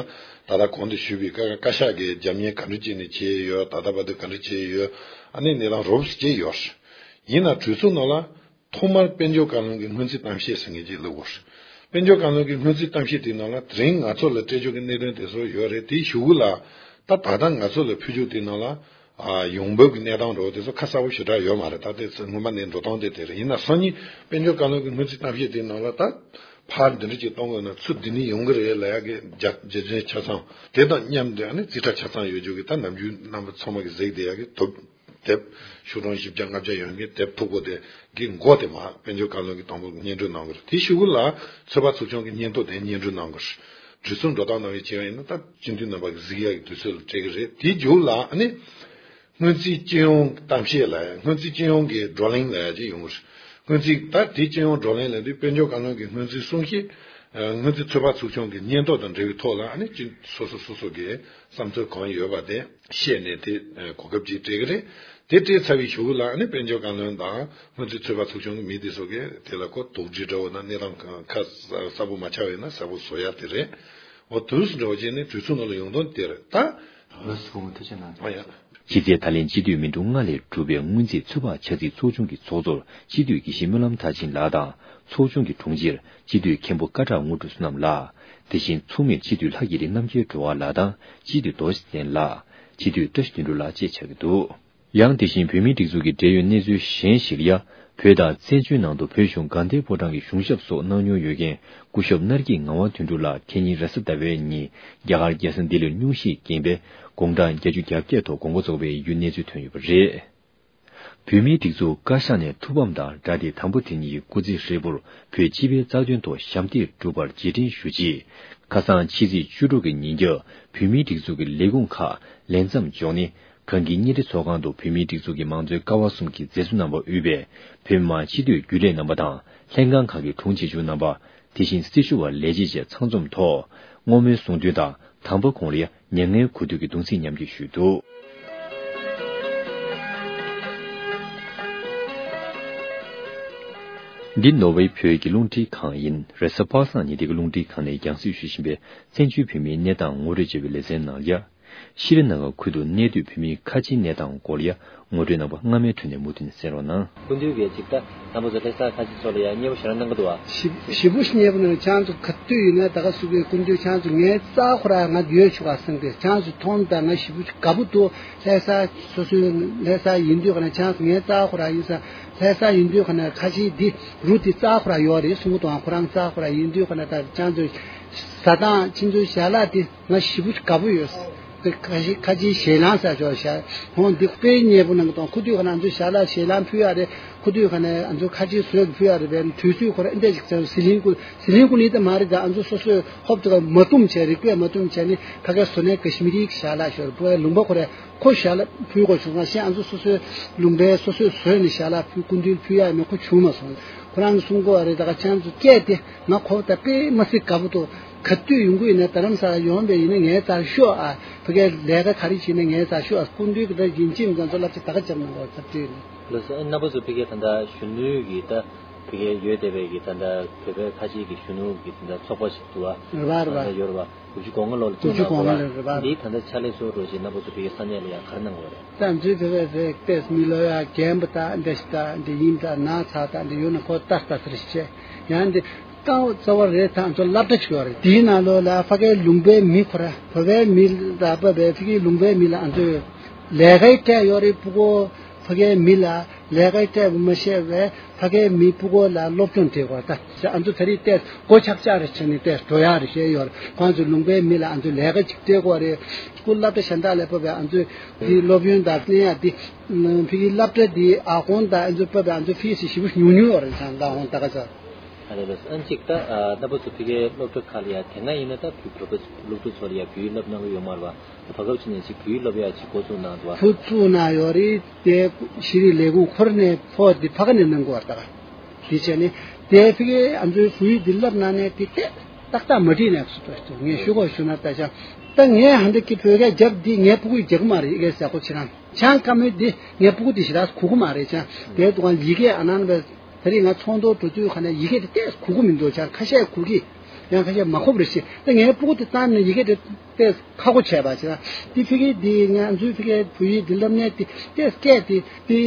ད་ལྟ་གོང་དུ་ཞུས་པའི་བཀའ་བཀའ་ཤག་གིས་རྒྱབ་གཉེར་ག་འདྲ་བྱས་ནས་བྱས་ཡོད། ད་ལྟ་བར་དུ་ག་འདྲ་བྱས་ཡོད། ཨ་ནི་གནས་སྟངས་རོབ་ཙམ་ཅིག་ཡོད་རེད། ཡིན་ན་གྲོས་ཚོགས་ནང་ལ་ཐོག་མར་དཔལ་འབྱོར་བཀའ་བློན་གྱི་སྔོན་རྩིས་གཏམ་བཤད་ཟེར་མཁན་ཅིག་བླུགས་ཡོད་རེད། དཔལ་འབྱོར་བཀའ་བློན་གྱི་སྔོན་རྩིས་གཏམ་བཤད་དེའི་ནང་ལ་དེ་རིང་ང་ཚོ་ལ་སྤྲད་རྒྱུ་གི་གནད་དོན་དེ་ཚོ་ཡོད་རེད། དེའི་གཞུག་གུ་ལ་ད་ད་ལྟ་ང་ཚོ་ལ་ཕུལ་རྒྱུ་དེའི་ནང་ལ། ཨ་ཡོང་འབབ་ཀྱི་གནས་སྟངས་འདྲ་བོ་དེ་ཚོ་ཁ་གསལ་པོ་ཞེ་དྲག་ཡོད་མ་རེད། ད་དེ་ཚོ་སྔོན་མ་ནས་འགྲོ་སྟངས་དེ་དེ་རེད། ཡིན་ན་སང་ཉིན་དཔལ་འབྱོར་བཀའ་བློན་གྱི་སྔོན་རྩིས་གཏམ་བཤད་དེའི་ནང་ལ་ད་ཕར་འདི་འདྲ་ཅིག་གཏོང་དགོས་ན་ཚུར་འདི་ནས་ཡོང་གི་རེད་ལབ་ཡག་གི་རྒྱ་རྒྱུ་མཚན་ཆ་ཚང་དེ་དང་མཉམ་དུ་ཨ་ནི་རྩིས་ཁྲ་ཆ་ཚང་ཡོད་རྒྱུ་གི་ད་ནམ་རྒྱུན་རྣམ་པ་ཚང་མ་གི་གཟིགས་བསྡད་ཡག་གི་དུབ་དེབ་ཤོག་གྲངས་བཞི་བརྒྱ་ལྔ་བརྒྱ་ཡོད་མཁན་དེབ་མཐུག་པོ་དེ་གི་མགོ་དེ་མར་དཔལ་འབྱོར་བཀའ་བློན་གྱིས་དང་པོ་སྙན་སྒྲོན་གནང་གི་རེད། དེའི་གཞུག་གུ་ལ་ཚོད་དཔག་ཚོགས་ཆུང་གི་སྙན་ཐོ་དེ་སྙན་སྒྲོན་གནང་གི་རེད། གྲོས་ཚོགས་འགྲོ་སྟངས་ནང་བཞིན་བྱས་པ་ཡིན་ན་ད་སྤྱི་འཐུས་རྣམ་པ་གི་གཟིགས་ཡག་གི་དུས་ཚོད་ལ་སྤྲད་ཀྱི་རེད། དེའི་མཇུག་ལ་ཨ་ནི་སྔོན་རྩིས་སྤྱི་ཡོངས་གཏམ་བཤད་ལབ་ཡ། སྔོན་རྩིས་སྤྱི་ཡོངས་ཀྱི་བགྲོ་གླེང་ལབ་ཡ་ཅིག་ཡོང་གི་རེད། སྔོན་རྩིས་ད་དེ་སྤྱི་ཡོངས་བགྲོ་གླེང་ལབ་དུས་དཔལ་འབྱོར་བཀའ་བློན་གྱི་སྔོན་རྩིས་གསུང་བཤད། སྔོན་རྩིས་ཚོད་དཔག་ཚོགས་ཆུང་གི་སྙན་ཐོ་དང་འབྲེལ་བའི་ཐོག་ལ་ཨ་ནི་སྤྱི་སོ་སོ་སོ་སོ་གི་བསམ་ཚུལ་གང་ཡོད་པ་དེ་བཤད་ནས་དེ་གོ་སྐབས་ཅིག་སྤྲད་ཀྱི་རེད། དེ་སྤྲད་ཚར་བའི་གཞུག་ལ་ཨ་ནི་དཔལ་འབྱོར་བཀའ་བློན་དང་སྔོན་རྩིས་ཚོད་དཔག་ཚོགས་ཆུང་གི་མི་དེ་ཚོ་གིས་དེ་ལ་ཁོ་དོགས་འདྲི་འདྲ་བོ་ན་གནས་སྟངས་ག་གསལ་པོ་མ་ཆགས་པ་ཡིན་ན་གསལ་པོ་བཟོ་ཡ་དེ་རེད། འོ་དུས་སུ་འགྲོ་བ་བྱས་ནས་དུས་ཚོད་ནང་ལ་ཡོང་དོན་དེ་རེད་ད། ལགས་སོ་བུ་མོ་ཐུགས་རྗེ་གནང་། ཨ་ཡ། ཕྱི་ཚེས་ད་ལན་སྤྱི་འཐུས་མི་འདུག་ལྔ་ལས་གྲུབ་པའི་སྔོན་རྩིས་ཚོད་དཔག་ཆ་རྩིས་ཚོགས་ཆུང་གི་ཚོགས་གཙོར་སྤྱི་འཐུས་དགེ་བཤེས་སྨོན་ལམ་མཐར་ཕྱིན་ལགས་དང་ཚོགས་ཆུང་གི་དྲུང་ཆེར་སྤྱི་འཐུས་མཁན་པོ་སྐད་གྲགས་དངོས་གྲུབ་བསོད་ནམས་ལགས། དེ་བཞིན་ཚོགས་མིར་སྤྱི་འཐུས་ལྷ་རྒྱལ་རི་རྣམ་རྒྱལ་སྒྲོལ་དཀར་ལགས་དང་སྤྱི་འཐུས་རྡོ་རྗེ་བཙན་ལགས། སྤྱི་འཐུས་བཀྲ་ཤིས་དོན་གྲུབ་ལགས་བཅས་ཆགས་ཀྱི་འདུག་ཡང་དེ་བཞིན་བོད་མིའི་སྒྲིག་འཛུགས་ཀྱི་འབྲེལ་ཡོད་གནས་ཚུལ་གཞན་ཞིག་ལ་ཡང་བོད་དང་བཙན་བྱོལ་ནང་དུ་བོད་གཞུང་དགའ་ལྡན་ཕོ་བྲང་གི་གཞུང་ཞབས་སོགས་གནང་མྱོང་ཡོད་མཁན་སྐུ་ཞབས་སྣར་སྐྱིད་ངག་དབང་དོན་གྲུབ་ལགས་ཁེ་ཉིན་རེས་གཟའ་ཟླ་བའི་ཉིན་རྒྱ་གར་རྒྱལ་ས་ལྡི་ལིར་སྙུང་གཞིས་རྐྱེན་པས་དགུང་གྲངས་བརྒྱད་ཅུ་གྱ་བརྒྱད་ཐོག་དགོངས་པ་རྫོགས་པའི་ཡུལ་གནས་ཚུལ་ཐོན་ཡོད་པ་རེད། བོད་མིའི་སྒྲིག་འཛུགས་བཀའ་ཤག་ནས་ཐུགས་ཕམ་དང་སྦྲགས་ཏེ་དང་པོ་དེ་ཉིད་ཀྱི་སྐུ་ཚེ་ཧྲིལ་པོར་བོད་སྤྱི་པའི་རྩ་དོན་ཐོག་ཞབས་འདེགས་སྒྲུབ་པར་རྗེས་དྲན་ཞུ་ཆེད། ཁ་སང་ཕྱི་ཚེས་བཅུ་དྲུག་གི་ཉིན་རྒྱབ་བོད་མིའི་སྒྲིག་འཛུགས་ཀྱི་ལས་ཁུངས་ཁག་ལས་མཚམས་འཇོག་ནས། གངས་སྐྱིད་བརྙན་འཕྲིན་ཚོགས་ཁང་དུ་བོད་མིའི་སྒྲིག་འཛུགས་ཀྱི་མང་གཙོའི་ཀ་བ་གསུམ་གྱི་མཛད་གཙོ་རྣམ་པ་དབུས་པའི་བོད་མི་མང་སྤྱི་འཐུས་རྒྱུན་ལས་རྣམ་པ་དང་ལྷན་ཁང་ཁག་གི་དྲུང་ཆེ་ཆུང་རྣམ་པ། དེ་བཞིན་སྲི་ཞུ་བ་ལས་བྱེད་བཅས་ཚང་འཛོམས་ཐོག་བསྔོ་སྨོན་གསུང་འདོན་དང་དང་པོ་ཁོང་ལ་མྱ་ངན་གུས་འདུད་ཀྱི་གདུང་སེམས་མཉམ་སྐྱེད་ཞུས་འདུག་འདི་ནོར་ཝེ་བོད་ཀྱི་རླུང་འཕྲིན་ཁང་ཡིན། རེས་གཟའ་པ་སངས་ཉིན་དེ་གི་རླུང་འཕྲིན་ཁང་ནས་རྒྱང་སྲིང་ཞུ་བཞིན་པའི་བཙན་བྱོལ་བོད་མིའི་གནས་སྟངས་ངོ་སྤྲོད་བྱས་པའི་ལེ་ཚན་ནང་ལ། ཤྲི་ལང་ཀ་ཁུལ་དུ་གནས་སྡོད་བོད་མིའི་ཁ་ཆེའི་གནས་སྟངས་སྐོར་ལ་ངོ་སྤྲོད་རྣམ་པ་སྔ་མའི་ཁྲོད་ནས་མུ་མཐུད་ནས་གསན་རོགས་གནང་། སྐུ་མདུན་གྱིས་ཅིག་ད་དང་པོ་ཚོ་ལྷ་ས་ཁ་ཆེ་ཚོ་ལ་ཡང་མཉེས་པོ་ཞེ་དྲག་གནང་གི་འདུག་བ། ཞེ་ཞེ་པོ་ཞིག་མཉེས་པོ་གནང་། ཁྱེད་ཚོ་ག་དུས་ཡིན་ན་ད་ག་སུ་གི་སྐུ་མདུན་ཁྱེད་ཚོ་ངའི་རྩ་ཁོ་ར་ང་ཡོད་ཆོག་ག་སེང་གེ་ཁྱེད་ཚོ་མཐོང་ད་ང་ཞེ་པོ་ཞིག་དགའ་པོ་འདུག་ལྷ་ས་སོ་སོའི་ལྷ་ས་ཡིན་དུས་ཁ་ན་ཁྱེད་ཚོ་ངའི་རྩ་ཁོ་ར་ཡིན་ས་ལྷ་ས་ཡིན་དུས་ཁ་ན་ཁ་ཆེ་འདི་རུ་འདི་རྩ་ཁོ་ར་ཡོད་རེད་གསུང་གི་འདུག་ཁོ་རང་རྩ་ཁོ་ར་ཡིན་དུས་ཁ་ན་ད་ཁྱེད་ཚོ་ཟ་སྟངས་ཁྱེད་ཚོའི་ཞལ་ལག་འདི། ང་ཞེ་པོ་དགའ་པོ་ཡོད། ཁ་ཆེ་ཁ་ཆེའི་ཞལ་ལང་ཟེར་ཆོག་ཤག་ཧོང་འདི་དཔེ་མཉེས་པོ་གནང་གི་དང་ཁུ་དུས་ཁ་ན་ང་ཚོའི་ཞལ་ལག་ཞལ་ལང་ཕུལ་ཡ་རེད། ཁུ་དུས་ཁ་ན་ང་ཚོ་ཁ་ཆེའི་བཟོས་ཕུལ་ཡ་རེད་པས་དུས་ཚོད་ཁོ་ར་ཨེ་འདྲ་ཞིག་ཟེར་ཟི་ལིང་ཀུ་ཟི་ལིང་ཀུ་ནི་ད་མ་རེད་ད་ང་ཚོ་སོ་སོའི་ཧོབ་ཏེ་ག་མ་བཏུམ་བྱས་རིག་པས་མ་བཏུམ་བྱས་ནི་ཕ་གའི་བཟོ་ནས་ཀ་ཤི་མི་རིའི་ཞལ་ལག་ཤོར་བུ་བའི་ལུང་པ་ཁོ་ར་ཁོ་ཞལ་ལག་ཕུལ་དགོས་བྱུང་ང་ཤེས་ང་ཚོ་སོ་སོའི་ལུང་པའི་སོ་སོའི་བཟོས་ནས་ཞལ་ལག་ཕུལ་སྐུ་མདུན་ཕུལ་ཡ་མེད་ཁོ་བྱུང་མ་སོང་ཁོ་རང་གསུང་གོ་བ་རེད་ད་ག་ཁྱེད་ཚོ་སྐད་དེ་ང་ཁོ་ད་དཔེ་མ་སྲིད་དགའ་པོ་འདུག་ག་དུས་ཡོང་གི་ཡིན་ན་རྡ་རམ་ས་ལ་ཡོང་བས་ཡིན་ན་ངའི་རྩར་ཤོག་ཨ། ཕ་གིའི་ལས་ཀ་ག་རེ་བྱེད་ན་ངའི་རྩར་ཤོག་ཨ། སྐུ་མདུན་གྱི་ད་ཡིན་གཅིག་མིན་ཚང་ཚོ་བསླབ་བྱ་ད་ག་བརྒྱབ་གནང་བ་ཚབ་བྲིས་ནས། ལགས་སོ། ཨ་རྣམ་པ་ཚོ་ཕ་གིའི་ད་ལྟ་གཞོན་ནུའི་གི་ད་ཕ་གིའི་ཡོད་བསྡད་པའི་གི་ད་ལྟ་བོད་པའི་ཁ་ཆེའི་གི་གཞོན་ནུ་གི་ད་ལྟ་ཚོགས་པ་ཞིག་འདུག་ཨ། རེད་པ་རེད་པ། ད་ལྟ་ཡོད་རེད་པ། དགུ་བཅུ་གོ་ལྔ་ལོ་ལ་དགུ་བཅུ་གོ་ལྔ་ལོ་རེད་པ། འདིའི་ད་ལྟ་ཕྱག་ལས་གཙོ་བོ་འདྲ་བོ་ཞིག་རྣམ་པ་ཚོ་ཕ་གིའི་ས་གནས་ལ་ཡང་ག་རེ་གནང་དགོས་རེད། ད་འཛུལ་བོད་པའི་རེད་ཏེས་མི་ལོ་ཡ་རྒན་པ་དང་འདི་ཞིག་དང་འདི་ཡིན་དང་ན་ཚ་དང་འདི་ཡོད་ན་ཁོ་ལྟ་ལྟ་ཚུལ་ཞིག་བྱས་ཡང་འདི་རྐང་བ་རྩ་བ་རེད་ད་ང་ཚོ་སློབ་གྲྭ་ཞིག་ཡོད་རེད། དེའི་ནང་ལོགས་ལ་ཕ་གའི་ལུང་པའི་མི་ཁོ་ར་བོད་པའི་མི་ལ་བབས་པའི་ཕ་གིའི་ལུང་པའི་མི་ལ་ང་ཚོས་ལས་ཀའི་སྤྲད་ཡོད་རེད། ཕྲུ་གུ་ཕ་གའི་མི་ལ་ལས་ཀའི་སྤྲད་པ་མ་ཤེས་པའི་ཕ་གའི་མི་ཕྲུ་གུ་ལ་སློབ་སྦྱོང་སྤྲད་དགོས་ད་ང་ཚོ་ད་རེས་ཏེས་སྒོ་ཆག་ཆག་རེ་བྱས་ནས་ཏེས་འགྲོ་ཡག་རེ་བྱས་ཡོད་རེད། ཁོང་ཚོ་ལུང་པའི་མི་ལ་ང་ཚོ་ལས་ཀ་ཅིག་སྤྲད་དགོས་རེད། སྐུ་སློབ་གྲྭ་གཞན་དག་ལ་བབས་པའི་ང་ཚོས་འདི་སློབ་ཡོན་དང་གནས་ཡ་འདི་ཕ་གིའི་སློབ་གྲྭ་འདི་ཨ་ཁོང་དང་ཨ་ཚོ་བབས་པའི་ཨ་ཚོ་ཕི་སི་ཞེ་པོ་ཉུང་ཉུང་ཡོད་རེད་ཙང་ད་ཧོང་ད་ག་ཚ། ཨ་ལེ་ལོས་ཨན་ཅིག་ད་རྣམ་པ་ཚོ་ཕ་གིའི་སློབ་གྲྭ་ཁག་ལ་ཡ་དེ་སྔ་ཡིན་ན་ད་བོད་བོད་པ་སློབ་ཕྲུག་ཚོ་ལ་ཡ་བོད་ཡིག་བསླབ་གནང་གི་ཡོད་མ་རེད་བ། ད་བར་སྐབས་ཕྱི་ནས་ཅིག་བོད་ཡིག་བསླབ་ཡ་ཅིག་འགོ་བཙུགས་གནང་འདུག་བ། ཁོ་བཙུགས་གནང་ཡོད་རེད་དེ་ཤེས་རིག་ལས་ཁུངས་ཁོ་ར་ནས་ཕོགས་དེ་ཕ་ག་ནས་གནང་དགོས་བ་ད་ག་དེ་བྱས་ནས་དེ་ཕ་གིའི་ཨ་ཚོའི་བོད་ཡིག་འདི་བསླབ་གནང་ནས་དེ་ཏག་ཏག་མ་བྲིས་ནས་སུ་ཏོ་ཞིག་ངས་ཞུ་དགོས་ཞུ་ན་ད་ཤ་ད་ངས་ཧ་འདི་གི་བོད་སྐད་རྒྱབ་འདི་ངས་ཕྲུ་གུ་ཡིས་རྒྱག་གི་མ་རེད། ཨི་གེ་ཟེར་ཁོ་ཕྱིར་རང་ཆང་དཀའ་མོས་འདི་ངས་ཕྲུ་གུ་འདི་ཞེ་དྲག་གོ་གི་མ་རེད། ཆང་དེའི་དུས་ཡི་གེ་ཨ་ནང་བས་ད་རེས་ང་ཚོགས་འདུ་འགྲོ་དུས་ཁ་ནས་ཡི་གེ་འདི་ཏོག་ཙམ་གོ་གི་མི་འདུག་ཆང་ཁ་ཤས་གོ་གི། ཡང་ཁ་ཤས་མ་གོ་བ་རེད་ཤི། ད་ངས་ཕྲུ་གུ་འདི་བཏང་ནས་ཡི་གེ་འདི་ཏོག་ཙམ་ཁག་པོ་བྱས་པ་ཞེ་དྲག་འདི་ཕ་གི་འདི་ང་ཚོའི་ཕ་གིའི་བོད་ཡིག་འདི་བསླབ་ནས་འདི་ཏོག་ཙམ་སྐད་འདི་འདི་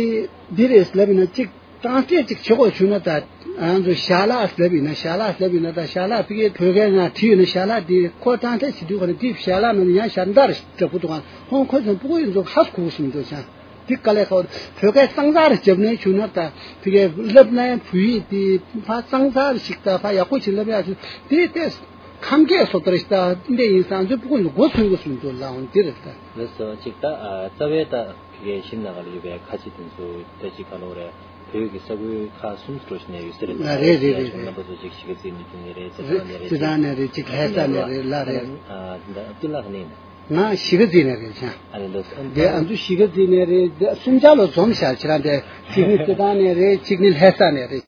འདི་རེད་ལབ་ཡིན་ན་གཅིག་གྲངས་ཐད་ཅིག་བྱེད་དགོས་བྱུང་ན་ད་ང་ཚོ་ཞལ་ལག་ལབ་ཡིན་ན་ཞལ་ལག་ལབ་ཡིན་ན་ད་ཞལ་ལག་ཕ་གིའི་བོད་སྐད་ནང་བྲིས་ཡོད་ན་ཞལ་ལག་འདི་ཁོ་གྲངས་ཐད་བྱེད་དུས་ཁོ་ན་འདི་ཞལ་ལག་ནང་ཡང་ཞལ་འདར་ཞིག་འདྲ་པོ་འདུག་ག་ཧོང་ཁོ་ཚོ་ཕྲུ་གུ་ཡིན་ཚོ་ཧ་གོ་གསུང་འདུག་ཆང་འདི་དཀའ་ལས་ཁག་བོད་སྐད་གཙང་གཙང་རེ་བརྒྱབ་ནས་བྱུང་ན་ད་ཕ་གིའི་བསླབ་ནའི་བོད་ཡིག་འདི་ཕ་གཙང་གཙང་རེ་ཞིག་ད་ཕ་ཡག་པོ་ཞིག་ལབ་ཡག་ཆུ་འདི་ཏེ་ཁམས་སྐད་སོ་ལྟར་ཞིག་ད་འདི་ཡིན་ས་ང་ཚོའི་ཕྲུ་གུ་ཡིན་ཚོ་མགོ་ཚོས་གསུང་འདུག་ལ་ཧོང་འདི་རེད་ད། ལགས་སོ་ཅིག་ད་རྩ་བའི་ད། ཕ་གིའི་གཞིས་ནང་ལ་ཡོད་པའི་ཁ་ཆེ་དེ་ཚོ་ད་ཅིག་ག་ལོ་རེད། བོད་ཀྱི་ས་ཁུལ་ཁག་གསུམ་དུ་འགྲོ་བཞིན་ནས་ཡོད་ས་རེད། ལ་རེད་རེད་རེད་རེད། རྣམ་པ་ཚོ་ཅིག་གཞིས་ཀ་རྩེ་ནས་ནས་རེད། རྩེ་ཐང་ནས་རེད། རྩེ་ཐང་ནས་རེད་ཅིག་ལྷ་ས་ནས་རེད་ལ་རེད། ཨ་ད་ཏུ་ལག་ནས་ནས། ང་གཞིས་ཀ་རྩེ་ནས་རེད་ཆང་། ཨ་རེད་ལགས་སོ། དེ་ཨ་ཚོ་གཞིས་ཀ་རྩེ་ནས་རེད། གསུམ་ཆ་ལ་འཛོམས་བཞག་ཁྱེད་རང་དེ་གཅིག་ནི་རྩེ་ཐང་ནས་རེད་གཅིག་ནི་ལྷ་ས་ནས་རེད།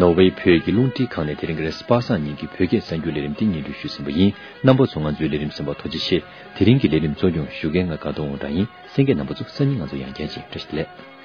ནོར་ཝེ་བོད་ཀྱི་རླུང་འཕྲིན་ཁང་ནས་དེ་རིང་གི་རེས་པ་སངས་ཉིན་གྱི་བོད་སྐད་གསར་འགྱུར་ལས་རིམ་འདི་སྙན་སྒྲོན་ཞུས་ཟིན་པ་ཡིན། རྣམ་པ་ཚོ་ང་ཚོའི་ལས་རིམ་གསན་པར་ཐུགས་རྗེ་ཆེ། དེ་རིང་གི་ལས་རིམ་གཙོ་སྐྱོང་ཞུ་མཁན་ང་དགའ་སྟོན་དབང་གྲགས་ཡིན། གསན་མཁན་རྣམ་པ་ཚོ་སང་ཉིན་ང་ཚོ་ཡང་བསྐྱར་མཇལ། བཀྲ་ཤིས་བདེ་ལེགས།